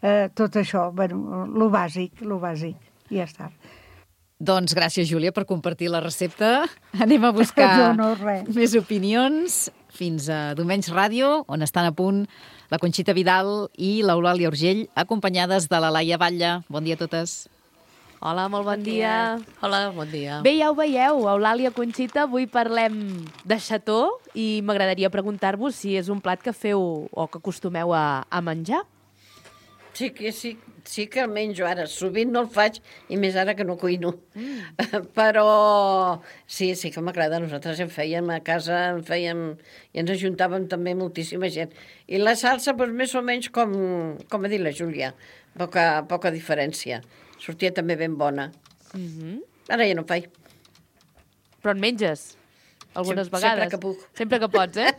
Speaker 11: eh, tot això, bueno, lo bàsic, lo bàsic, i ja està.
Speaker 3: Doncs gràcies, Júlia, per compartir la recepta. Anem a buscar
Speaker 11: no, no,
Speaker 3: més opinions. Fins a Domenys Ràdio, on estan a punt la Conxita Vidal i l'Eulàlia Urgell, acompanyades de la Laia Batlle. Bon dia a totes.
Speaker 4: Hola, molt bon dia.
Speaker 12: Hola, bon dia.
Speaker 4: Bé, ja ho veieu, Eulàlia, Conxita, avui parlem de xató i m'agradaria preguntar-vos si és un plat que feu o que acostumeu a, a menjar.
Speaker 12: Sí que, sí, sí que el menjo ara. Sovint no el faig, i més ara que no cuino. Mm. Però sí, sí que m'agrada. Nosaltres en fèiem a casa, en fèiem, i ens ajuntàvem també moltíssima gent. I la salsa, doncs, més o menys com, com ha dit la Júlia, poca, poca diferència. Sortia també ben bona.
Speaker 4: Mm-hmm.
Speaker 12: Ara ja no faig.
Speaker 4: Però en menges algunes
Speaker 12: Sem-
Speaker 4: vegades.
Speaker 12: Sempre que puc.
Speaker 4: Sempre que pots, eh?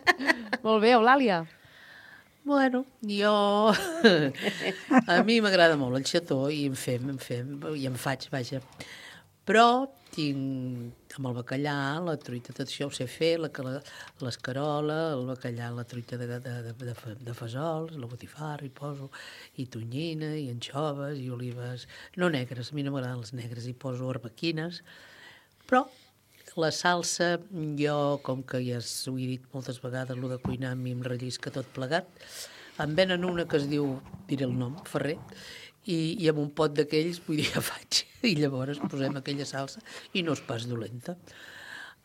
Speaker 4: Molt bé, Eulàlia.
Speaker 13: Bueno, jo... a mi m'agrada molt el xató i en fem, en fem, i en faig, vaja. Però tinc amb el bacallà, la truita, tot això ho sé fer, la, la, l'escarola, el bacallà, la truita de, de, de, de, de fesols, la botifarra, hi poso, i tonyina, i anxoves, i olives, no negres, a mi no m'agraden les negres, hi poso arbequines, però la salsa, jo, com que ja ho he dit moltes vegades, el de cuinar a mi em rellisca tot plegat, em venen una que es diu, diré el nom, Ferrer, i, i amb un pot d'aquells, vull dir, ja faig, i llavors posem aquella salsa i no és pas dolenta.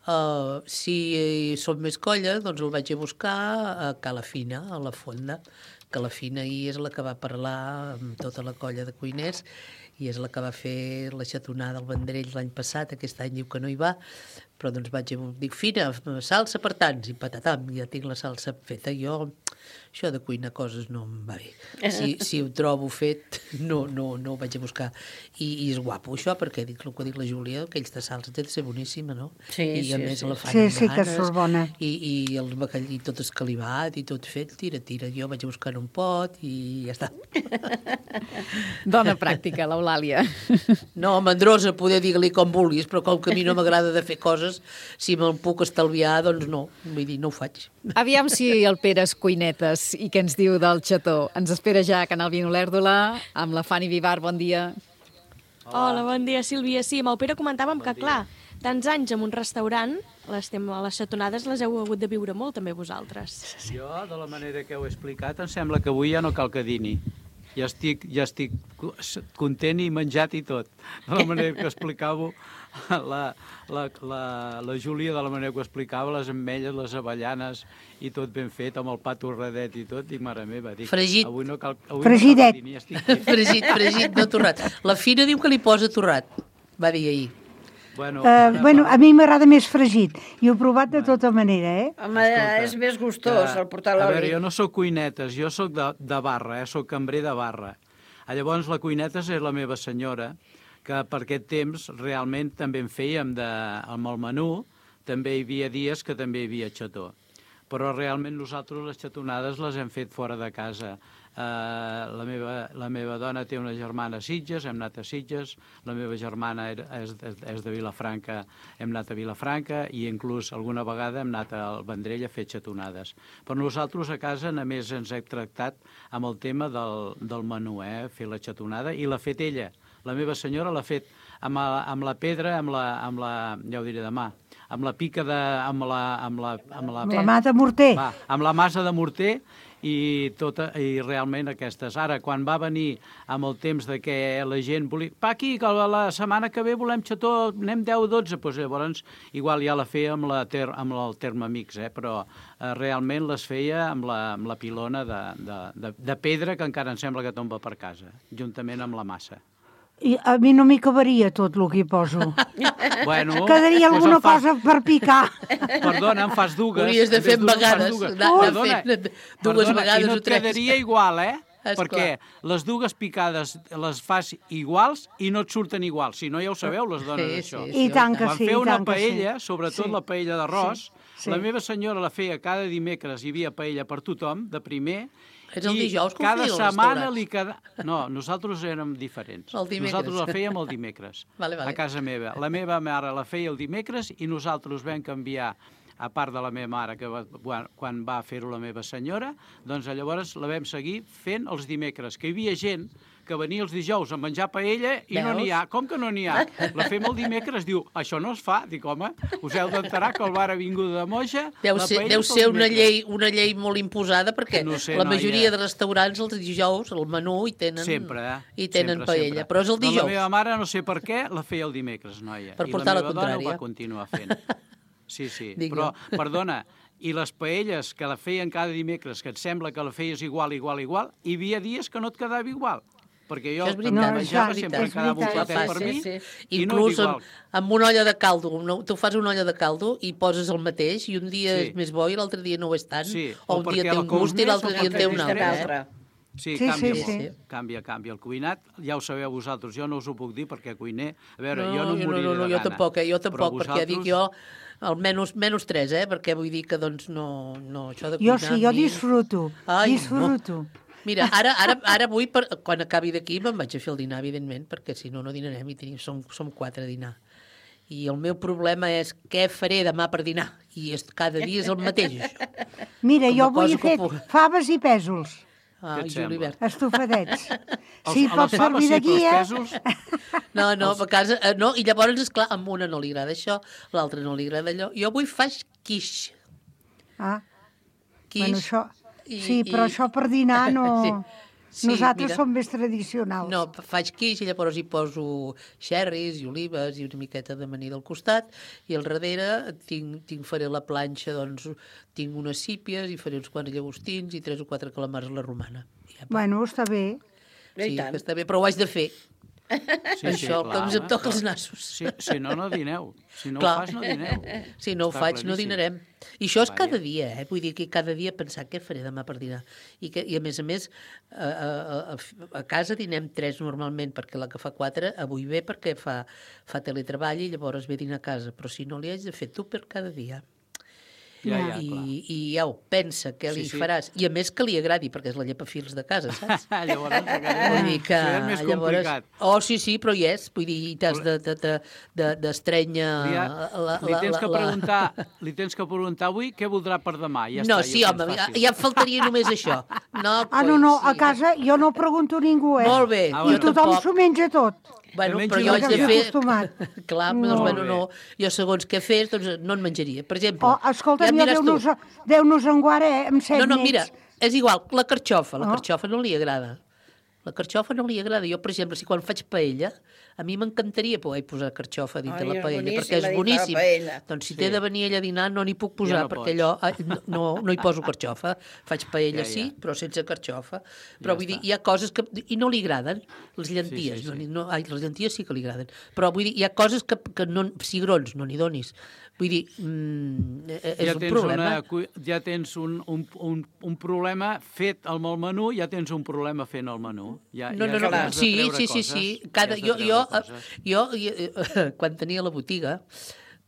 Speaker 13: Uh, si som més colla, doncs el vaig a buscar a Calafina, a la fonda. Calafina ahir és la que va parlar amb tota la colla de cuiners i és la que va fer la xatonada al Vendrell l'any passat, aquest any diu que no hi va, però doncs vaig dir, Fina, salsa per tants, i patatam, ja tinc la salsa feta. Jo, això de cuinar coses no em va bé. Si, si ho trobo fet, no, no, no ho vaig a buscar. I, i és guapo això, perquè dic el que ha dit la Júlia, aquells de salsa té de ser boníssima, no?
Speaker 12: Sí,
Speaker 13: I a
Speaker 12: sí,
Speaker 13: més
Speaker 12: sí.
Speaker 13: la fan
Speaker 11: Sí,
Speaker 13: amb
Speaker 11: sí que
Speaker 13: ganes,
Speaker 11: surt bona.
Speaker 13: I, i el bacall, i tot escalivat, i tot fet, tira, tira. Jo vaig a buscar un pot i ja està.
Speaker 3: Dona pràctica, l'Eulàlia.
Speaker 13: No, mandrosa, poder dir-li com vulguis, però com que a mi no m'agrada de fer coses, si me'l puc estalviar, doncs no. Vull dir, no ho faig.
Speaker 3: Aviam si el Pere és cuinetes i què ens diu del xató. Ens espera ja a Canal Vino Olèrdola amb la Fanny Vivar. Bon dia.
Speaker 4: Hola, bon dia, Sílvia. Sí, amb el Pere comentàvem que, clar, tants anys en un restaurant, les, tem les xatonades les heu hagut de viure molt, també, vosaltres.
Speaker 14: Jo, de la manera que heu explicat, em sembla que avui ja no cal que dini. Ja estic, ja estic content i menjat i tot. De la manera que explicàveu la, la, la, la Júlia, de la manera que ho explicava, les ametlles, les avellanes i tot ben fet, amb el pa torradet i tot, dic, mare meva, dic,
Speaker 13: fregit.
Speaker 14: Avui no cal, avui
Speaker 11: Fregidet.
Speaker 14: No cal que dini, estic...
Speaker 13: Fregit, fregit, no torrat. La Fina diu que li posa torrat, va dir ahir.
Speaker 14: Bueno,
Speaker 11: Uh, bueno, a mi m'agrada més fregit. I ho he provat de tota manera, eh?
Speaker 12: Home, és més gustós el portar
Speaker 14: A
Speaker 12: l'oli.
Speaker 14: veure, jo no sóc cuinetes, jo sóc de, de barra, eh? Sóc cambrer de barra. Llavors, la cuinetes és la meva senyora, que per aquest temps realment també en fèiem de, amb el menú, també hi havia dies que també hi havia xató. Però realment nosaltres les xatonades les hem fet fora de casa. Uh, la, meva, la meva dona té una germana a Sitges, hem anat a Sitges, la meva germana és, és de Vilafranca, hem anat a Vilafranca i inclús alguna vegada hem anat al Vendrell a fer xatonades. Però nosaltres a casa només ens hem tractat amb el tema del, del menú, eh? Fer la xatonada, i l'ha fet ella. La meva senyora l'ha fet amb, a, amb la pedra, amb la, amb la, ja ho diré demà, amb la pica de... amb la... amb la, amb la,
Speaker 11: La mà de morter.
Speaker 14: Va, amb la massa de morter, i, tota, i realment aquestes. Ara, quan va venir amb el temps de que la gent volia... Pa, aquí, que la setmana que ve volem xató, anem deu o dotze, doncs llavors igual ja la feia amb, la ter, amb el Thermomix, eh? Però eh, realment les feia amb la, amb la pilona de, de, de, de pedra que encara em sembla que tomba per casa, juntament amb la massa.
Speaker 11: I a mi no m'hi cabaria tot el que hi poso.
Speaker 14: Bueno,
Speaker 11: Quedaria
Speaker 14: pues
Speaker 11: alguna
Speaker 14: fas...
Speaker 11: cosa per picar.
Speaker 14: Perdona, em fas dues.
Speaker 13: Hauries de fer en vegades.
Speaker 14: Perdona,
Speaker 13: dues
Speaker 14: perdona,
Speaker 13: vegades
Speaker 14: i no
Speaker 13: o
Speaker 14: et
Speaker 13: tres.
Speaker 14: quedaria igual, eh?
Speaker 13: Esclar.
Speaker 14: Perquè les dues picades les fas iguals i no et surten iguals. Si no, ja ho sabeu, les dones,
Speaker 13: Sí,
Speaker 14: això.
Speaker 13: sí,
Speaker 11: I tant que
Speaker 14: Quan
Speaker 11: sí,
Speaker 14: fer
Speaker 11: i
Speaker 14: una
Speaker 11: tant que sí.
Speaker 14: paella, sobretot
Speaker 11: Sí.
Speaker 14: la paella d'arròs,
Speaker 11: Sí, sí.
Speaker 14: la meva senyora la feia cada dimecres, hi havia paella per tothom, de primer,
Speaker 13: És el
Speaker 14: i
Speaker 13: dijous que ho
Speaker 14: cada
Speaker 13: feien als
Speaker 14: setmana
Speaker 13: restaurants?
Speaker 14: li queda... No, nosaltres érem diferents.
Speaker 13: El dimecres.
Speaker 14: Nosaltres la fèiem el dimecres,
Speaker 13: Vale, vale.
Speaker 14: a casa meva. La meva mare la feia el dimecres i nosaltres vam canviar, a part de la meva mare, que va, quan, quan va fer-ho la meva senyora, doncs llavors la vam seguir fent els dimecres, que hi havia gent que venia els dijous a menjar paella i
Speaker 13: Veus?
Speaker 14: no n'hi ha. Com que no n'hi ha? La fem el dimecres, diu, això no es fa. Dic, home, us heu d'enterar que el bar ha vingut de moja,
Speaker 13: Deu
Speaker 14: la
Speaker 13: ser,
Speaker 14: paella
Speaker 13: deu
Speaker 14: és el
Speaker 13: ser una
Speaker 14: dimecres.
Speaker 13: llei, una llei molt imposada, perquè
Speaker 14: No sé,
Speaker 13: la
Speaker 14: noia.
Speaker 13: majoria de restaurants els dijous, el menú, hi tenen,
Speaker 14: Sempre, eh?
Speaker 13: hi tenen
Speaker 14: sempre,
Speaker 13: paella,
Speaker 14: sempre.
Speaker 13: però és el
Speaker 14: Doncs
Speaker 13: dijous.
Speaker 14: la meva mare, no sé per què, la feia el dimecres, noia.
Speaker 13: Per
Speaker 14: I
Speaker 13: portar la
Speaker 14: la meva dona ho
Speaker 13: contrària.
Speaker 14: va continuar fent. Sí, sí,
Speaker 13: Dic
Speaker 14: però,
Speaker 13: jo.
Speaker 14: perdona, i les paelles que la feien cada dimecres, que et sembla que la feies igual, igual, igual, hi havia dies que no et quedava igual. Perquè jo
Speaker 13: Això és
Speaker 14: també
Speaker 13: veritat,
Speaker 14: menjava,
Speaker 11: això és
Speaker 14: sempre
Speaker 11: veritat.
Speaker 14: quedava un
Speaker 11: És
Speaker 14: platet
Speaker 11: veritat.
Speaker 14: per mi,
Speaker 12: Sí, sí.
Speaker 14: i no
Speaker 13: Inclús
Speaker 14: era
Speaker 13: amb,
Speaker 14: igual.
Speaker 13: amb una olla de caldo, no? Tu fas una olla de caldo i poses el mateix, i un dia
Speaker 14: Sí.
Speaker 13: és més bo i l'altre dia no ho és tant,
Speaker 14: Sí,
Speaker 13: o
Speaker 14: o
Speaker 13: un dia
Speaker 14: perquè
Speaker 13: té
Speaker 14: la
Speaker 13: un gust i
Speaker 14: cous
Speaker 13: l'altre
Speaker 14: més,
Speaker 13: dia
Speaker 14: o
Speaker 13: en té
Speaker 14: perquè
Speaker 13: un
Speaker 14: és
Speaker 13: altre.
Speaker 12: altre.
Speaker 13: Eh?
Speaker 14: Sí,
Speaker 11: Sí,
Speaker 14: canvia
Speaker 11: sí,
Speaker 14: molt.
Speaker 11: sí.
Speaker 14: Canvia, canvia. El cuinat, ja ho sabeu vosaltres, jo no us ho puc dir perquè cuiner... A veure,
Speaker 13: No,
Speaker 14: jo no em
Speaker 13: jo
Speaker 14: moriré
Speaker 13: no, no,
Speaker 14: de
Speaker 13: jo
Speaker 14: gana.
Speaker 13: tampoc, eh? jo
Speaker 14: Però
Speaker 13: tampoc, perquè dic jo
Speaker 14: vosaltres-
Speaker 13: almenys menys tres, eh? Perquè vull dir que doncs no, no això de
Speaker 11: Jo
Speaker 13: cuinar...
Speaker 11: sí, jo
Speaker 13: a mi-
Speaker 11: disfruto.
Speaker 13: Ai,
Speaker 11: disfruto.
Speaker 13: No. Mira, ara, ara, ara vull, per, quan acabi d'aquí, me'n vaig a fer el dinar, evidentment, perquè si no, no dinarem i tenim, som, som quatre a dinar. I el meu problema és què faré demà per dinar. I és, cada dia és el mateix, això.
Speaker 11: Mira,
Speaker 13: Com a
Speaker 11: jo avui
Speaker 13: cosa
Speaker 11: he
Speaker 13: que
Speaker 11: fet
Speaker 13: puc.
Speaker 11: faves i pèsols.
Speaker 13: Ah,
Speaker 14: Què et
Speaker 13: Julibert.
Speaker 11: Estofadets.
Speaker 14: Els-
Speaker 11: Si
Speaker 14: a
Speaker 11: pot
Speaker 14: les faves
Speaker 11: servir de
Speaker 14: sí, però els
Speaker 11: guia...
Speaker 14: pèsols-
Speaker 13: No, no, a casa... eh, No, i llavors, esclar, a una no li agrada això, l'altra no li agrada allò. Jo avui faig quiche.
Speaker 11: Ah,
Speaker 13: Quiche.
Speaker 11: bueno, això...
Speaker 13: i-
Speaker 11: Sí, però
Speaker 13: i-
Speaker 11: això per dinar no...
Speaker 13: Sí,
Speaker 11: Nosaltres
Speaker 13: mira.
Speaker 11: som més tradicionals.
Speaker 13: No, faig quiche i llavors hi poso xerris i olives i una miqueta d'amanida al costat i al darrere tinc, tinc faré la planxa, doncs tinc unes sípies i faré uns quants llagostins i tres o quatre calamars a la romana. Ja,
Speaker 11: Bueno, està bé.
Speaker 13: sí, que està bé, però ho haig de fer.
Speaker 14: Sí,
Speaker 13: Això,
Speaker 14: sí,
Speaker 13: que ens em toca els nassos.
Speaker 14: Si, si no, no dineu. Si no
Speaker 13: Clar.
Speaker 14: ho fas, no dineu.
Speaker 13: Si no ho
Speaker 14: Està
Speaker 13: faig, no
Speaker 14: claríssim.
Speaker 13: dinarem. I això és
Speaker 14: Vaja.
Speaker 13: cada dia, eh? Vull dir que cada dia pensar què faré demà per dinar. I, que, i a més a més, a, a, a, a casa dinem tres normalment, perquè la que fa quatre avui ve perquè fa, fa teletreball i llavors ve a dinar a casa. Però si no li haig de fer tu per cada dia.
Speaker 14: Ja, ja,
Speaker 13: I,
Speaker 14: clar.
Speaker 13: I ja ho pensa, què li
Speaker 14: Sí, sí.
Speaker 13: faràs. I a més que li agradi, perquè és la llepafils de casa, saps?
Speaker 14: Llavors, encara
Speaker 13: Vull dir que,
Speaker 14: això és més complicat.
Speaker 13: Oh, sí, sí, però hi és. Vull dir, t'has de, de, de, de, d'estrènyer
Speaker 14: Li, ha,
Speaker 13: la,
Speaker 14: li, tens
Speaker 13: la,
Speaker 14: que
Speaker 13: la...
Speaker 14: preguntar, li tens que preguntar avui què voldrà per demà. Ja
Speaker 13: No,
Speaker 14: està,
Speaker 13: sí,
Speaker 14: ja ho
Speaker 13: home,
Speaker 14: tens
Speaker 13: ja,
Speaker 14: fàcil.
Speaker 13: ja em faltaria només això. No,
Speaker 11: Ah, no, no, a casa jo no pregunto a ningú, eh?
Speaker 13: Molt bé,
Speaker 14: Ah,
Speaker 11: I
Speaker 14: bueno.
Speaker 11: tothom
Speaker 13: tampoc.
Speaker 11: s'ho menja tot.
Speaker 13: Bueno,
Speaker 14: Que
Speaker 13: però
Speaker 14: mengi
Speaker 13: jo
Speaker 14: el
Speaker 13: haig de
Speaker 14: dia.
Speaker 13: fer...
Speaker 11: Acostumat.
Speaker 13: Clar,
Speaker 11: No.
Speaker 13: doncs, bueno,
Speaker 14: Molt
Speaker 13: no.
Speaker 14: bé.
Speaker 13: Jo segons què fes, doncs no en menjaria. Per exemple,
Speaker 11: Oh, escolta,
Speaker 13: ja em
Speaker 11: ja
Speaker 13: diràs tu.
Speaker 11: Déu-nos Déu-nos en guarda, eh, amb set
Speaker 13: No, no,
Speaker 11: nets.
Speaker 13: mira, és igual, la carxofa, la
Speaker 11: Oh.
Speaker 13: carxofa no li agrada. La carxofa no li agrada. Jo, per exemple, si quan faig paella, a mi m'encantaria poder posar carxofa dins
Speaker 12: Ai,
Speaker 13: de la
Speaker 12: és
Speaker 13: paella,
Speaker 12: boníssima
Speaker 13: perquè és
Speaker 12: dintre la
Speaker 13: boníssim.
Speaker 12: paella.
Speaker 13: Doncs si
Speaker 14: Sí.
Speaker 13: té de venir ella a dinar no n'hi puc posar,
Speaker 14: no
Speaker 13: perquè
Speaker 14: pots.
Speaker 13: allò... ai, No, no hi poso carxofa. Faig paella,
Speaker 14: Ja, ja.
Speaker 13: sí, però sense carxofa. Però
Speaker 14: Ja
Speaker 13: vull dir,
Speaker 14: està.
Speaker 13: hi ha coses que... I no li agraden, les llenties.
Speaker 14: Sí, sí, sí.
Speaker 13: No, n'hi- no, ai, les llenties sí que li agraden. Però vull dir, hi ha coses que, que no... Cigrons, no n'hi donis. Vull dir, mm, és
Speaker 14: ja
Speaker 13: un
Speaker 14: tens
Speaker 13: problema.
Speaker 14: Una, cu- ja tens un, un, un, un problema fet amb el menú, ja tens un problema fent el menú. Ja,
Speaker 13: No,
Speaker 14: ja
Speaker 13: no, no,
Speaker 14: has de
Speaker 13: sí,
Speaker 14: treure
Speaker 13: sí, sí,
Speaker 14: coses,
Speaker 13: sí.
Speaker 14: ja
Speaker 13: Cada,
Speaker 14: has de
Speaker 13: jo,
Speaker 14: treure
Speaker 13: jo,
Speaker 14: coses.
Speaker 13: jo, jo, quan tenia la botiga,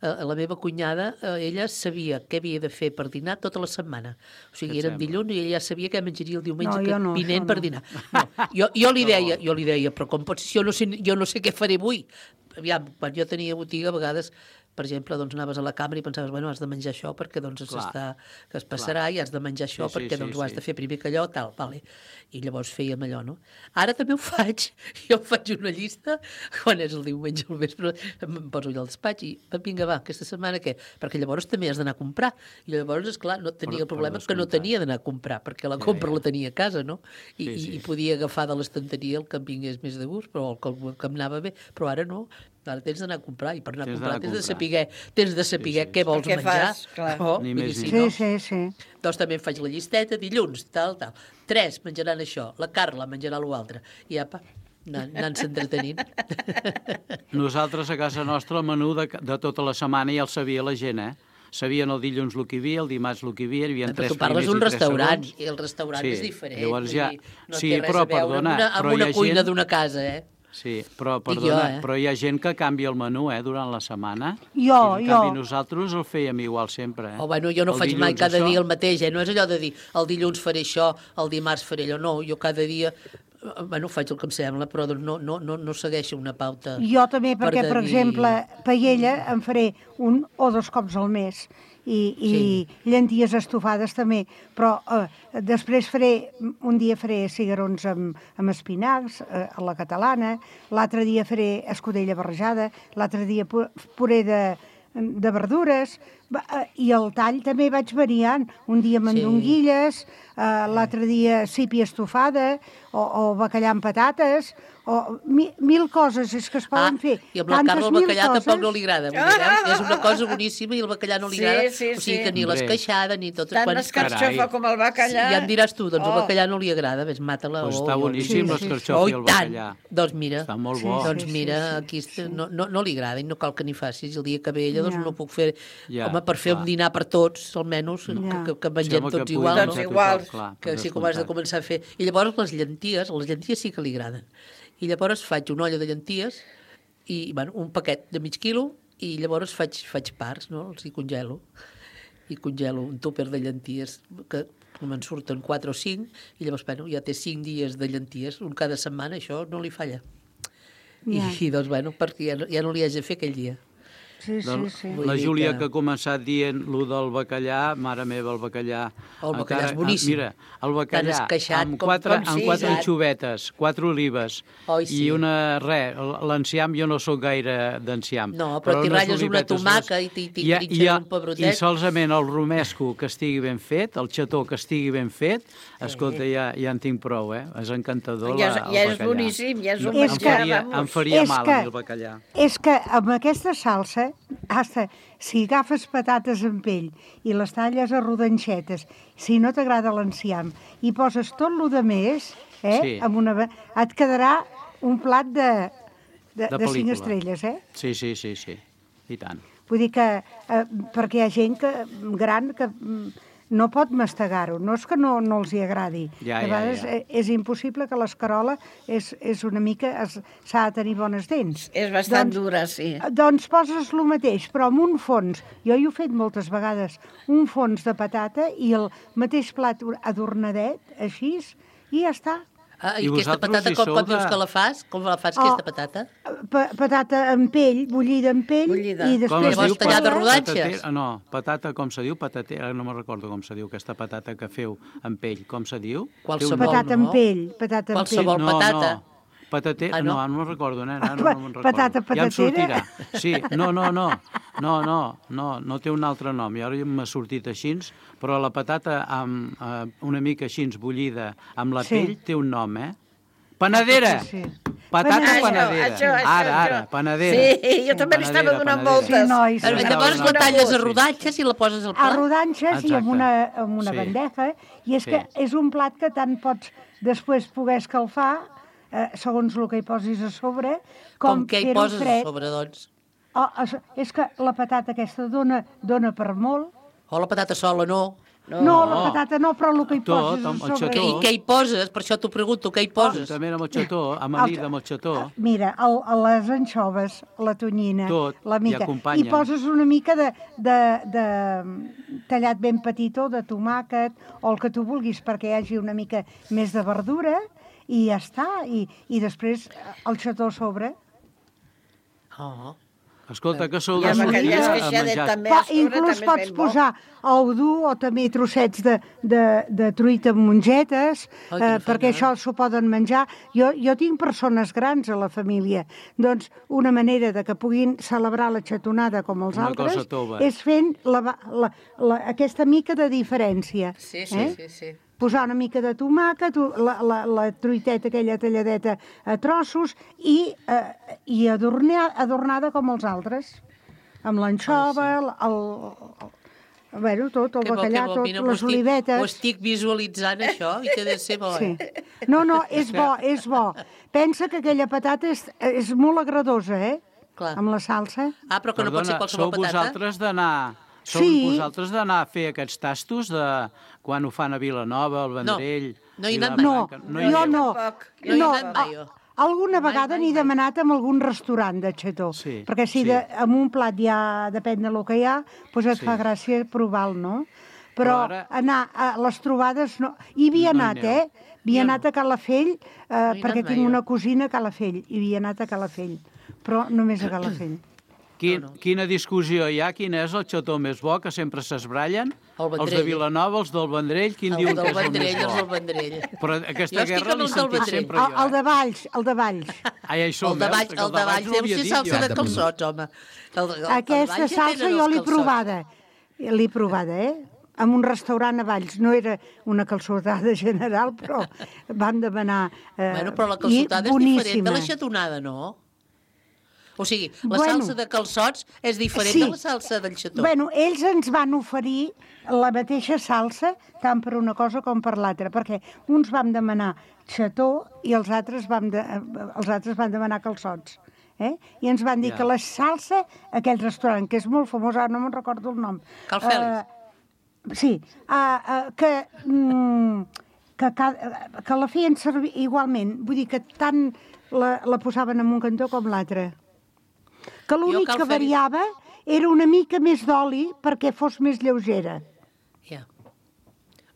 Speaker 13: eh, la meva cunyada, eh, ella sabia què havia de fer per dinar tota la setmana. O sigui,
Speaker 14: Què et
Speaker 13: era
Speaker 14: sembla?
Speaker 13: dilluns i ella ja sabia què menjaria el diumenge
Speaker 11: No,
Speaker 13: que
Speaker 11: jo no,
Speaker 13: vinent
Speaker 11: això
Speaker 13: per
Speaker 11: no.
Speaker 13: dinar. No, jo, jo, li deia, jo li deia, però com pots, si jo no sé, jo no sé què faré avui. Aviam, quan jo tenia botiga, a vegades per exemple, doncs anaves a la cambra i pensaves, bueno, has de menjar això perquè doncs s'està, que es passarà, i has de menjar això
Speaker 14: Sí, sí,
Speaker 13: perquè
Speaker 14: sí,
Speaker 13: doncs ho has
Speaker 14: sí.
Speaker 13: de fer primer que allò, tal, vale. I llavors fèiem allò, no? Ara també ho faig, jo faig una llista, quan és el diumenge al vespre, em poso allà al despatx i vinga, va, aquesta setmana què? Perquè llavors també has d'anar a comprar. I llavors, esclar, no tenia
Speaker 14: Per-
Speaker 13: el problema
Speaker 14: per
Speaker 13: que no
Speaker 14: descomptat.
Speaker 13: tenia d'anar a comprar, perquè la
Speaker 14: Ja,
Speaker 13: compra
Speaker 14: ja.
Speaker 13: la tenia a casa, no? I,
Speaker 14: Sí, sí.
Speaker 13: i, i podia agafar de l'estanteria el que em vingués més de gust, però el que, el que em anava bé, però ara no. Ara tens d'anar a comprar, i per anar a
Speaker 14: Tens
Speaker 13: comprar
Speaker 14: d'anar a
Speaker 13: tens de
Speaker 14: comprar.
Speaker 13: saber, tens de saber
Speaker 14: Sí, sí.
Speaker 13: què vols
Speaker 12: Què
Speaker 13: menjar.
Speaker 12: fas, clar.
Speaker 13: Oh,
Speaker 14: Ni
Speaker 13: vull dir,
Speaker 14: més ni
Speaker 13: si
Speaker 11: Sí,
Speaker 13: no,
Speaker 11: sí, sí.
Speaker 13: doncs també em faig la llisteta, dilluns, tal, tal. Tres menjaran això, la Carla menjarà l'altre. I apa, anant- anant-se entretenint.
Speaker 14: Nosaltres a casa nostra el menú de, de tota la setmana ja el sabia la gent, eh? Sabien el dilluns el que hi havia, el dimarts el que hi havia, hi havia
Speaker 13: Però
Speaker 14: tres
Speaker 13: tu parles
Speaker 14: primers
Speaker 13: d'un
Speaker 14: i tres
Speaker 13: restaurant,
Speaker 14: segons.
Speaker 13: i el restaurant
Speaker 14: Sí,
Speaker 13: és diferent.
Speaker 14: llavors
Speaker 13: vull
Speaker 14: ja-
Speaker 13: dir, no
Speaker 14: sí,
Speaker 13: té res
Speaker 14: però,
Speaker 13: a veure
Speaker 14: perdona,
Speaker 13: amb una, amb
Speaker 14: però hi
Speaker 13: una
Speaker 14: ha
Speaker 13: cuina
Speaker 14: gent-
Speaker 13: d'una casa, eh?
Speaker 14: Sí, però,
Speaker 13: Dic
Speaker 14: perdona,
Speaker 13: jo, eh?
Speaker 14: però hi ha gent que canvia el menú, eh, durant la setmana.
Speaker 11: Jo,
Speaker 14: I, en
Speaker 11: jo.
Speaker 14: canvi, nosaltres el fèiem igual sempre, eh?
Speaker 13: O bueno, jo no
Speaker 14: El
Speaker 13: faig mai
Speaker 14: dilluns
Speaker 13: cada
Speaker 14: això.
Speaker 13: dia el mateix, eh? No és allò de dir el dilluns faré això, el dimarts faré allò, no, jo cada dia, eh, bueno, faig el que em sembla, però doncs no, no, no, no segueixo una pauta.
Speaker 11: Jo també, perquè,
Speaker 13: de
Speaker 11: per
Speaker 13: dir-
Speaker 11: exemple, paella em faré un o dos cops al mes i, i
Speaker 13: Sí.
Speaker 11: llenties estofades també, però eh, després faré, un dia faré cigarrons amb, amb espinacs eh, a la catalana, l'altre dia faré escudella barrejada, l'altre dia pu- puré de, de verdures, va, eh, i el tall també vaig variant, un dia mandonguilles, eh, l'altre dia sípia estofada, o, o bacallà amb patates, o mi, mil coses és que es poden fer.
Speaker 13: I amb la
Speaker 11: Tantes
Speaker 13: Carla el
Speaker 11: mil
Speaker 13: bacallà
Speaker 11: coses.
Speaker 13: tampoc no li agrada. Vull dir, eh? És una cosa boníssima i el bacallà no li
Speaker 12: Sí,
Speaker 13: agrada.
Speaker 12: sí,
Speaker 13: o sigui
Speaker 12: sí.
Speaker 13: que ni
Speaker 14: Hombre.
Speaker 13: l'esqueixada ni tot.
Speaker 12: Tant l'escarxofa com el bacallà.
Speaker 13: Ja em diràs tu, doncs
Speaker 12: Oh.
Speaker 13: el bacallà no li agrada, ves, mata-la.
Speaker 14: Pues
Speaker 13: oh,
Speaker 14: està
Speaker 13: jo-
Speaker 14: boníssim,
Speaker 11: Sí,
Speaker 14: l'escarxofa
Speaker 13: Oh,
Speaker 14: i el
Speaker 13: tant.
Speaker 14: bacallà.
Speaker 13: Doncs mira,
Speaker 14: Està molt
Speaker 11: Sí,
Speaker 14: bo.
Speaker 11: sí.
Speaker 13: doncs mira, aquí est- no, no, no li agrada i no cal que n'hi facis. El dia que ve ella, doncs
Speaker 11: Ja.
Speaker 13: no puc fer...
Speaker 14: Ja,
Speaker 13: Home, per fer
Speaker 14: clar.
Speaker 13: un dinar per tots, almenys,
Speaker 11: Ja.
Speaker 13: que, que, que mengem
Speaker 14: Sembla que
Speaker 13: tots
Speaker 14: pugui
Speaker 13: igual,
Speaker 14: menjar
Speaker 13: no?
Speaker 12: Tots
Speaker 14: tothom,
Speaker 12: iguals.
Speaker 14: clar,
Speaker 13: Que
Speaker 14: per
Speaker 13: sí, com has de
Speaker 14: descomptat.
Speaker 13: començar a fer. I llavors les llenties, les llenties sí que li agraden. I llavors faig una olla de llenties i, bueno, un paquet de mig quilo i llavors faig, faig parts, no? Els hi congelo. I congelo un tupper de llenties que me'n surten quatre o cinc i llavors, bueno, ja té cinc dies de llenties, un cada setmana, això no li falla. I,
Speaker 11: Ja.
Speaker 13: i doncs, bueno, perquè ja no, ja no li haig de fer aquell dia.
Speaker 11: Sí, sí,
Speaker 14: Doncs
Speaker 11: sí.
Speaker 13: Vull
Speaker 14: la
Speaker 13: dir
Speaker 14: Júlia
Speaker 13: que-
Speaker 14: que... ha començat dient lo del bacallà, mare meva, el bacallà...
Speaker 13: El bacallà
Speaker 14: encara-
Speaker 13: és boníssim.
Speaker 14: Mira, el
Speaker 13: Tan
Speaker 14: bacallà
Speaker 13: esqueixat
Speaker 14: amb
Speaker 13: com-
Speaker 14: quatre,
Speaker 13: com
Speaker 14: amb
Speaker 13: sí,
Speaker 14: quatre
Speaker 13: saps?
Speaker 14: anxovetes, quatre olives
Speaker 13: Oi, sí.
Speaker 14: i una... Res, l'enciam, jo no sóc gaire d'enciam.
Speaker 13: No, però t'hi
Speaker 14: unes
Speaker 13: ratlles una
Speaker 14: olivetes,
Speaker 13: tomaca
Speaker 14: unes-
Speaker 13: i t'hi- t'hi
Speaker 14: I-
Speaker 13: trinxes
Speaker 14: i-
Speaker 13: un pebrotet.
Speaker 14: I solament el romesco que estigui ben fet, el xató que estigui ben fet, escolta, ja, ja en tinc prou, eh? És encantador
Speaker 12: Ja,
Speaker 14: la,
Speaker 12: és-
Speaker 14: el
Speaker 12: ja és
Speaker 14: bacallà.
Speaker 12: boníssim, ja és un
Speaker 14: No, em
Speaker 11: menjar,
Speaker 14: faria,
Speaker 12: vamos.
Speaker 14: em faria
Speaker 11: És
Speaker 14: mal
Speaker 11: que-
Speaker 14: a mi el bacallà.
Speaker 11: És que amb aquesta salsa, hasta, si agafes patates en pell i les talles a rodanxetes, si no t'agrada l'enciam, i poses tot lo de més, eh,
Speaker 14: Sí.
Speaker 11: amb una, et quedarà un plat de, de,
Speaker 14: De
Speaker 11: de cinc
Speaker 14: pel·lícula.
Speaker 11: estrelles, eh?
Speaker 14: Sí, sí, sí, sí, i tant.
Speaker 11: Vull dir que, eh, perquè hi ha gent que, gran que mm, no pot mastegar-ho, no és que no, no els hi agradi.
Speaker 14: Ja,
Speaker 11: de
Speaker 14: ja,
Speaker 11: vegades
Speaker 14: ja.
Speaker 11: eh, és impossible que l'escarola és, és una mica... es- s'ha de tenir bones dents.
Speaker 12: És bastant dura, sí.
Speaker 11: Doncs poses el mateix, però amb un fons. Jo hi he fet moltes vegades. Un fons de patata i el mateix plat adornadet, així, i ja està.
Speaker 13: Ah, I,
Speaker 14: I
Speaker 13: aquesta
Speaker 14: vosaltres
Speaker 13: patata,
Speaker 14: hi
Speaker 13: com,
Speaker 14: sou
Speaker 13: com dius
Speaker 14: de-
Speaker 13: que la fas? Com la fas,
Speaker 11: Oh,
Speaker 13: aquesta patata?
Speaker 11: Pa patata amb pell, bullida amb pell,
Speaker 12: Bullida.
Speaker 11: i
Speaker 14: Com
Speaker 11: després...
Speaker 14: es diu?
Speaker 13: tallada a
Speaker 14: Patata-
Speaker 13: rodanxes?
Speaker 14: patatera- No, patata, com se diu? Patatera, no me'n recordo com se diu aquesta patata que feu amb pell. Com se diu?
Speaker 13: Qualsevol,
Speaker 14: Té un nom.
Speaker 11: Patata amb pell, patata amb pell.
Speaker 13: Qualsevol patata.
Speaker 14: No, Patatera,
Speaker 13: Ah,
Speaker 14: no?
Speaker 13: no?
Speaker 14: no, no me'n recordo, nena, no,
Speaker 11: Pa-
Speaker 14: no me'n recordo.
Speaker 11: patata
Speaker 14: Ja em
Speaker 11: patatera?
Speaker 14: sortirà. Sí, no, no, no, no, no, no, no té un altre nom, i ara m'ha sortit així, però la patata amb, eh, una mica així bullida amb la
Speaker 11: Sí.
Speaker 14: pell té un nom, eh? Panadera!
Speaker 11: Sí, sí.
Speaker 14: Patata
Speaker 11: Panadera.
Speaker 14: panadera.
Speaker 12: Això, això,
Speaker 14: ara,
Speaker 12: això.
Speaker 14: ara, panadera.
Speaker 12: Sí, jo també li estava
Speaker 14: Panadera,
Speaker 12: donant
Speaker 14: panadera.
Speaker 12: voltes.
Speaker 11: Sí, nois.
Speaker 13: Però
Speaker 11: Sí,
Speaker 13: llavors
Speaker 14: no,
Speaker 13: la
Speaker 14: no.
Speaker 13: talles a rodanxes i la poses al
Speaker 11: A
Speaker 13: plat.
Speaker 11: rodanxes i amb
Speaker 14: Exacte.
Speaker 11: una, amb una
Speaker 14: Sí.
Speaker 11: bandeja, i és
Speaker 14: Sí.
Speaker 11: que és un plat que tant pots després poder escalfar, eh, segons el que hi posis a sobre, com,
Speaker 13: Com que hi
Speaker 11: fer-ho
Speaker 13: poses a
Speaker 11: fred.
Speaker 13: sobre, doncs?
Speaker 11: Oh, és- és que la patata aquesta dona, dona per molt.
Speaker 13: O la patata sola, no.
Speaker 11: No, no, la patata no, però el que hi
Speaker 14: Tot,
Speaker 11: poses a
Speaker 14: amb el
Speaker 11: sobre...
Speaker 14: xató.
Speaker 13: I què hi poses? Per això t'ho pregunto, què hi poses?
Speaker 14: També amb el xató, amanida amb el xató.
Speaker 11: Mira, el, les anxoves, la tonyina,
Speaker 14: Tot,
Speaker 11: la
Speaker 14: i
Speaker 11: mica.
Speaker 14: acompanya.
Speaker 11: I poses una mica de, de, de tallat ben petitó, de tomàquet, o el que tu vulguis, perquè hi hagi una mica més de verdura, i ja està. I, i després el xató a sobre.
Speaker 13: Oh.
Speaker 14: Escolta, que sou
Speaker 12: I
Speaker 14: de
Speaker 12: amb aquell
Speaker 14: sortida a
Speaker 12: esqueixadet
Speaker 14: menjar.
Speaker 12: també
Speaker 11: Pa,
Speaker 12: a sobre
Speaker 11: inclús
Speaker 12: també és
Speaker 11: pots
Speaker 12: ben bo.
Speaker 11: posar ou dur o també trossets de, de, de truita amb mongetes,
Speaker 13: Ai,
Speaker 11: eh,
Speaker 13: quina
Speaker 11: perquè
Speaker 13: feina,
Speaker 11: això s'ho poden menjar. Jo, jo tinc persones grans a la família, doncs una manera de que puguin celebrar la xatonada com els
Speaker 14: Una
Speaker 11: altres
Speaker 14: cosa tova.
Speaker 11: és fent la, la, la, aquesta mica de diferència.
Speaker 13: Sí, sí,
Speaker 11: eh?
Speaker 13: sí, sí.
Speaker 11: Posar una mica de tomàquet, la, la, la truiteta aquella talladeta a trossos i, eh, i adornar, adornada com els altres, amb l'anxova, el, el, el, bueno, tot, el
Speaker 13: Que bo,
Speaker 11: bacallà,
Speaker 13: que bo.
Speaker 11: tot,
Speaker 13: Mira, m'ho
Speaker 11: les
Speaker 13: estic-
Speaker 11: olivetes.
Speaker 13: Ho estic visualitzant, això, i que ha de ser bo,
Speaker 11: Sí.
Speaker 13: eh?
Speaker 11: No, no, és bo, és bo. Pensa que aquella patata és, és molt agradosa, eh?
Speaker 13: Clar.
Speaker 11: Amb la salsa.
Speaker 13: Ah, però que no pot ser
Speaker 14: Perdona,
Speaker 13: qualsevol
Speaker 14: sou
Speaker 13: patata?
Speaker 14: vosaltres d'anar... Sou
Speaker 11: Sí.
Speaker 14: vosaltres d'anar a fer aquests tastos de quan ho fan a Vilanova, al Vendrell...
Speaker 13: no hi he
Speaker 14: i
Speaker 13: anat
Speaker 14: la
Speaker 13: mai.
Speaker 11: No,
Speaker 14: Branca? hi
Speaker 11: jo
Speaker 14: aneu?
Speaker 11: no.
Speaker 12: Tampoc.
Speaker 13: No hi he
Speaker 11: No,
Speaker 13: anat mai, jo.
Speaker 11: a- Alguna
Speaker 13: Mai,
Speaker 11: vegada
Speaker 13: mai,
Speaker 11: n'he
Speaker 13: mai.
Speaker 11: demanat en algun restaurant de xató,
Speaker 14: Sí,
Speaker 11: perquè si
Speaker 14: sí.
Speaker 11: de, amb un plat ja depèn del que hi ha, doncs et
Speaker 14: Sí.
Speaker 11: fa gràcia provar-lo, no? Però,
Speaker 14: Però ara-
Speaker 11: anar a les trobades no... Hi havia
Speaker 14: No hi
Speaker 11: anat,
Speaker 14: aneu.
Speaker 11: eh? Havia
Speaker 13: Jo no.
Speaker 11: anat a Calafell, eh,
Speaker 13: he anat
Speaker 11: perquè
Speaker 13: mai,
Speaker 11: tinc
Speaker 13: jo.
Speaker 11: una cosina a Calafell, i havia anat a Calafell, però només a Calafell.
Speaker 14: Quin,
Speaker 13: No, no.
Speaker 14: Quina discussió hi ha? Quin és el xató més bo, que sempre s'esbrallen?
Speaker 13: El
Speaker 14: Els de
Speaker 13: Vendrell.
Speaker 14: Vilanova, els del Vendrell, quin
Speaker 13: El
Speaker 14: diuen
Speaker 13: del
Speaker 14: que és el
Speaker 13: Vendrell,
Speaker 14: més
Speaker 13: els del
Speaker 14: bo?
Speaker 13: Vendrell.
Speaker 14: Però
Speaker 13: Jo
Speaker 14: aquesta
Speaker 13: estic
Speaker 14: guerra
Speaker 13: amb
Speaker 14: l'he
Speaker 13: els del
Speaker 14: sentit
Speaker 13: Vendrell.
Speaker 14: sempre
Speaker 11: El,
Speaker 14: jo.
Speaker 11: el de Valls, el de Valls.
Speaker 14: Ah, ja hi som,
Speaker 13: El de
Speaker 14: veus?
Speaker 13: Valls,
Speaker 14: Que
Speaker 13: el de Valls
Speaker 14: no
Speaker 13: deu
Speaker 14: havia
Speaker 13: ser
Speaker 14: dit
Speaker 13: salsa
Speaker 14: jo.
Speaker 13: de calçots, home. El, el, el
Speaker 11: Aquesta
Speaker 13: de Valls ja
Speaker 11: salsa
Speaker 13: tenen
Speaker 11: jo
Speaker 13: els
Speaker 11: l'he
Speaker 13: calçots.
Speaker 11: provada. L'he provada, eh? En un restaurant a Valls. No era una calçotada general, però van demanar... Eh,
Speaker 13: Bueno, però la
Speaker 11: i
Speaker 13: calçotada és diferent de
Speaker 11: boníssima.
Speaker 13: la xatonada, no? O sigui, la
Speaker 11: Bueno.
Speaker 13: salsa de calçots és diferent
Speaker 11: Sí.
Speaker 13: de la salsa del xató.
Speaker 11: Bueno, ells ens van oferir la mateixa salsa, tant per una cosa com per l'altra, perquè uns vam demanar xató i els altres, vam de, els altres van demanar calçots. Eh? I ens van dir
Speaker 14: Ja.
Speaker 11: que la salsa, aquell restaurant, que és molt famós, ara no me'n recordo el nom.
Speaker 13: Cal Fèlix.
Speaker 11: Eh, sí, uh, uh, que, mm, que, ca- que la feien servir igualment. Vull dir que tant la, la posaven en un cantó com l'altre. Que l'únic
Speaker 13: Cal
Speaker 11: que
Speaker 13: Fèlix-
Speaker 11: variava era una mica més d'oli perquè fos més lleugera,
Speaker 13: Ja.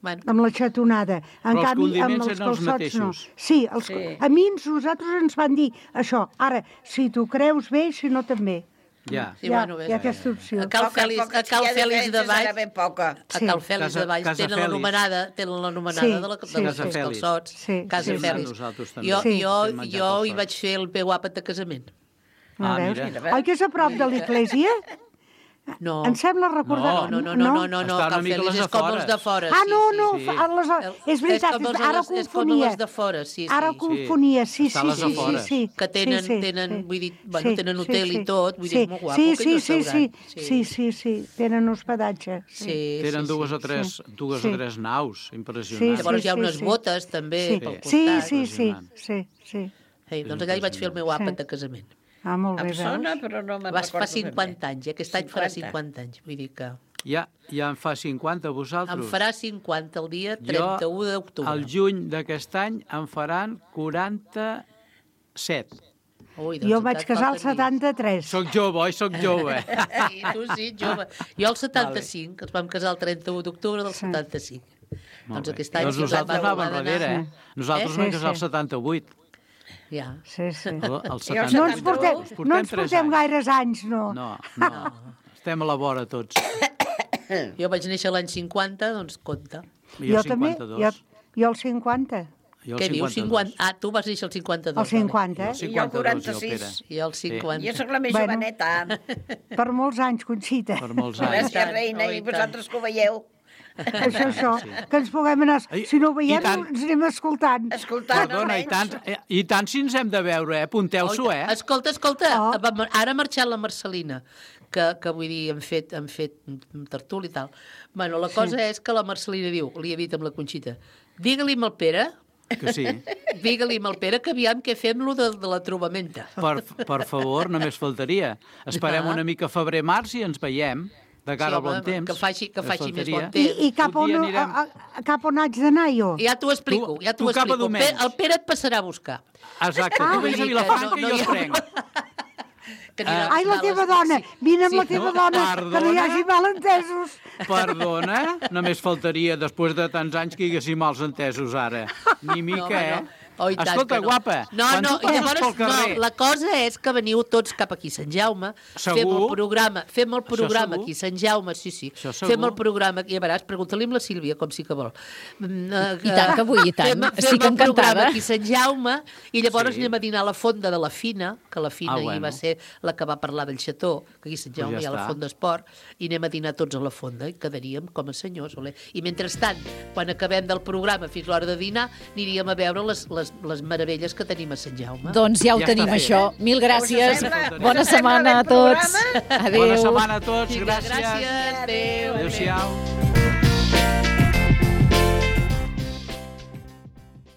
Speaker 13: Bueno,
Speaker 11: amb la xatonada. En
Speaker 14: Però els
Speaker 11: canvi, amb
Speaker 14: condiments
Speaker 11: els
Speaker 14: eren els
Speaker 11: calçots no.
Speaker 14: mateixos.
Speaker 11: Sí, els,
Speaker 12: Sí.
Speaker 11: a mi nosaltres ens van dir això. Ara, si tu creus bé, si no també.
Speaker 14: Ja.
Speaker 13: sí,
Speaker 11: hi ha,
Speaker 13: bueno, ves.
Speaker 11: hi ha aquesta opció.
Speaker 13: A Cal
Speaker 12: Poca,
Speaker 13: Fèlix,
Speaker 12: poca,
Speaker 13: a Cal
Speaker 12: si hi ha
Speaker 13: Fèlix de
Speaker 12: diferències,
Speaker 13: Valls,
Speaker 12: era ben poca.
Speaker 13: a
Speaker 11: Sí.
Speaker 13: Cal Fèlix
Speaker 14: Casa-
Speaker 13: de Valls
Speaker 14: Casa
Speaker 13: tenen
Speaker 14: Fèlix.
Speaker 13: l'anomenada, tenen l'anomenada
Speaker 11: Sí,
Speaker 13: de la,
Speaker 11: sí,
Speaker 13: dels
Speaker 11: sí.
Speaker 14: Casa
Speaker 13: calçots.
Speaker 14: Fèlix.
Speaker 11: Sí,
Speaker 13: Casa
Speaker 11: sí, sí.
Speaker 13: Fèlix.
Speaker 14: Nosaltres també.
Speaker 13: Jo,
Speaker 11: Sí.
Speaker 13: jo,
Speaker 14: Vam menjar
Speaker 13: jo hi
Speaker 14: calçots.
Speaker 13: vaig fer el meu àpat de casament.
Speaker 11: Ah,
Speaker 14: Ah,
Speaker 11: veus?
Speaker 14: mira.
Speaker 11: Oi que és a prop de l'església?
Speaker 13: No.
Speaker 11: Em sembla recordar...
Speaker 13: No, no, no, no, no, no,
Speaker 14: Està una
Speaker 13: Cal
Speaker 14: mica a
Speaker 13: Fèlix
Speaker 14: les
Speaker 13: és com
Speaker 14: afores.
Speaker 13: els de fora.
Speaker 11: Ah,
Speaker 13: sí,
Speaker 11: no,
Speaker 13: sí,
Speaker 11: no,
Speaker 13: sí.
Speaker 11: fa- a les,
Speaker 13: El-
Speaker 11: és veritat,
Speaker 13: com els-
Speaker 11: ara
Speaker 13: és com
Speaker 11: confonia.
Speaker 13: els de fora, sí, sí.
Speaker 11: Ara
Speaker 13: sí.
Speaker 11: confonia, sí,
Speaker 14: Està a
Speaker 11: sí,
Speaker 14: les
Speaker 11: sí, sí,
Speaker 14: afores.
Speaker 11: sí.
Speaker 13: Que tenen-
Speaker 11: sí, sí,
Speaker 13: tenen,
Speaker 11: sí.
Speaker 13: vull dir, bueno, tenen hotel i tot, vull dir,
Speaker 11: sí,
Speaker 13: és molt guapo,
Speaker 11: sí,
Speaker 13: aquell
Speaker 11: sí, sí, sí,
Speaker 13: restaurant.
Speaker 11: sí,
Speaker 13: Sí.
Speaker 11: sí, sí, tenen hospedatge.
Speaker 13: Sí,
Speaker 14: Tenen
Speaker 13: sí,
Speaker 14: dues
Speaker 13: sí.
Speaker 14: o tres,
Speaker 11: Sí.
Speaker 14: dues
Speaker 11: Sí.
Speaker 14: o tres naus,
Speaker 11: Sí,
Speaker 14: impressionants.
Speaker 13: Llavors
Speaker 11: sí,
Speaker 13: hi ha
Speaker 11: sí,
Speaker 13: unes
Speaker 11: sí.
Speaker 13: botes també
Speaker 11: Sí,
Speaker 13: pel
Speaker 11: sí,
Speaker 13: costat.
Speaker 11: sí, sí,
Speaker 14: Impressionant.
Speaker 11: sí, sí.
Speaker 13: Ei, doncs allà hi vaig fer el meu àpat
Speaker 11: Sí.
Speaker 13: de casament.
Speaker 11: Ah, molt bé,
Speaker 12: Em sona,
Speaker 11: veus?
Speaker 12: però no me'n
Speaker 13: Vas fa
Speaker 12: recordo ben bé.
Speaker 13: cinquanta anys, eh? Aquest any farà
Speaker 12: cinquanta.
Speaker 13: cinquanta anys, vull dir que...
Speaker 14: Ja, ja en fa cinquanta, vosaltres?
Speaker 13: Em farà cinquanta el dia trenta-u d'octubre.
Speaker 14: El juny d'aquest any em faran quaranta-set.
Speaker 13: Ui,
Speaker 11: Jo vaig casar al setanta-tres.
Speaker 14: Soc jove, oi? Soc jove.
Speaker 13: Sí, tu sí, jove. Jo al setanta-cinc, ens vam casar el trenta-u d'octubre del setanta-cinc. Doncs aquest any...
Speaker 14: Doncs nosaltres anàvem darrere, eh? Nosaltres
Speaker 13: Eh?
Speaker 14: vam
Speaker 13: Sí,
Speaker 14: casar el
Speaker 13: sí.
Speaker 14: setanta-vuit.
Speaker 13: Ja.
Speaker 11: Sí, sí.
Speaker 14: El
Speaker 11: No
Speaker 14: setanta-u.
Speaker 11: ens portem, no ens
Speaker 14: tres
Speaker 11: portem
Speaker 14: anys.
Speaker 11: gaires anys, no.
Speaker 14: No, no. Estem a la vora tots.
Speaker 13: Jo vaig néixer l'any cinquanta, doncs compta.
Speaker 11: Jo també, jo, jo el cinquanta.
Speaker 14: Jo
Speaker 13: Què dius? cinquanta? Ah, tu vas néixer el cinquanta-dos.
Speaker 11: El cinquanta, eh?
Speaker 12: I jo el quaranta-sis.
Speaker 13: I el cinquanta.
Speaker 12: Jo sóc la més
Speaker 11: Bueno.
Speaker 12: joveneta.
Speaker 11: Per molts anys, Conxita.
Speaker 14: Per molts
Speaker 12: Gràcies, reina, i vosaltres que ho veieu.
Speaker 11: Això, això, que ens puguem anar... Si no ho veiem,
Speaker 14: tant.
Speaker 11: ens anem escoltant.
Speaker 12: Escoltant,
Speaker 14: Perdona, i tant, eh, i tant si ens hem de veure, eh? Apunteu-s'ho, eh?
Speaker 13: Escolta, escolta,
Speaker 11: Oh.
Speaker 13: ara ha marxat la Marcelina, que, que vull dir, hem fet, hem fet tertúlia i tal. Bueno, la cosa és que la Marcelina diu, li he dit amb la Conxita, digue-li al Pere,
Speaker 14: Que sí.
Speaker 13: digue-li al Pere que aviam què fem lo de, de la trobamenta.
Speaker 14: Per, per favor, només faltaria. Esperem
Speaker 13: Ah.
Speaker 14: una mica febrer-març i ens veiem de cara
Speaker 13: Sí,
Speaker 14: al bon
Speaker 13: home,
Speaker 14: temps.
Speaker 13: que faci- que
Speaker 14: Només
Speaker 13: faci més
Speaker 14: faltaria.
Speaker 13: bon temps.
Speaker 11: I, i cap,
Speaker 14: Un
Speaker 11: on,
Speaker 14: dia
Speaker 11: a,
Speaker 14: anirem-
Speaker 11: a, a, cap on haig d'anar jo?
Speaker 13: Ja t'ho explico,
Speaker 14: Tu-
Speaker 13: ja t'ho
Speaker 14: tu cap a
Speaker 13: explico. El Pere,
Speaker 14: Domènech.
Speaker 13: el Pere et passarà a buscar.
Speaker 14: Exacte,
Speaker 11: Ah,
Speaker 14: tu vés a
Speaker 13: vull dir que
Speaker 14: Vilafranca
Speaker 13: no-
Speaker 14: i
Speaker 13: no
Speaker 14: jo
Speaker 13: hi
Speaker 14: et
Speaker 13: ha-
Speaker 14: prenc.
Speaker 13: Que anirà
Speaker 11: Ai, la
Speaker 13: a
Speaker 11: teva
Speaker 13: les-
Speaker 11: dona,
Speaker 13: sí.
Speaker 11: vine amb
Speaker 13: Sí,
Speaker 11: la teva
Speaker 14: no,
Speaker 11: dona, que no hi
Speaker 14: perdona.
Speaker 11: hagi malentesos.
Speaker 14: Perdona, només faltaria, després de tants anys que hi haguéssim mals entesos ara. Ni mica,
Speaker 13: home,
Speaker 14: eh?
Speaker 13: no. Oh, i tant
Speaker 14: Escolta,
Speaker 13: que no.
Speaker 14: guapa,
Speaker 13: no,
Speaker 14: quan
Speaker 13: no,
Speaker 14: tu passes
Speaker 13: i llavors,
Speaker 14: pel carrer...
Speaker 13: no, la cosa és que veniu tots cap aquí a Sant Jaume,
Speaker 14: Segur?
Speaker 13: fem el programa, fem el programa
Speaker 14: segur?
Speaker 13: aquí a Sant Jaume, sí, sí,
Speaker 14: Això segur?
Speaker 13: fem el programa, i a veuràs, pregunta-li amb la Sílvia, com sí que vol. Mm, eh,
Speaker 3: I tant que vull, i tant.
Speaker 13: Fem,
Speaker 3: Estic
Speaker 13: fem el
Speaker 3: encantada.
Speaker 13: programa aquí a Sant Jaume, i llavors
Speaker 14: Sí.
Speaker 13: anem a dinar a la fonda de la Fina, que la Fina
Speaker 14: Ah,
Speaker 13: ahir
Speaker 14: bueno.
Speaker 13: va ser la que va parlar del xató, que aquí a Sant
Speaker 14: Pues
Speaker 13: Jaume
Speaker 14: ja
Speaker 13: hi ha la
Speaker 14: està.
Speaker 13: fonda esport, i anem a dinar tots a la fonda, i quedaríem com a senyors. Ole. I mentrestant, quan acabem del programa fins l'hora de dinar, aniríem a veure les, les, les meravelles que tenim a Sant Jaume.
Speaker 3: Doncs ja ho
Speaker 14: Ja
Speaker 3: tenim,
Speaker 14: està fet.
Speaker 3: això. Mil gràcies.
Speaker 12: Us sembla?
Speaker 3: Bona
Speaker 12: Us sembla
Speaker 3: setmana
Speaker 12: bé
Speaker 3: a
Speaker 12: el
Speaker 3: tots.
Speaker 12: programa?
Speaker 3: Adéu.
Speaker 14: Bona setmana a tots,
Speaker 13: Vinga,
Speaker 14: gràcies.
Speaker 13: gràcies. Adéu.
Speaker 14: Adéu-siau.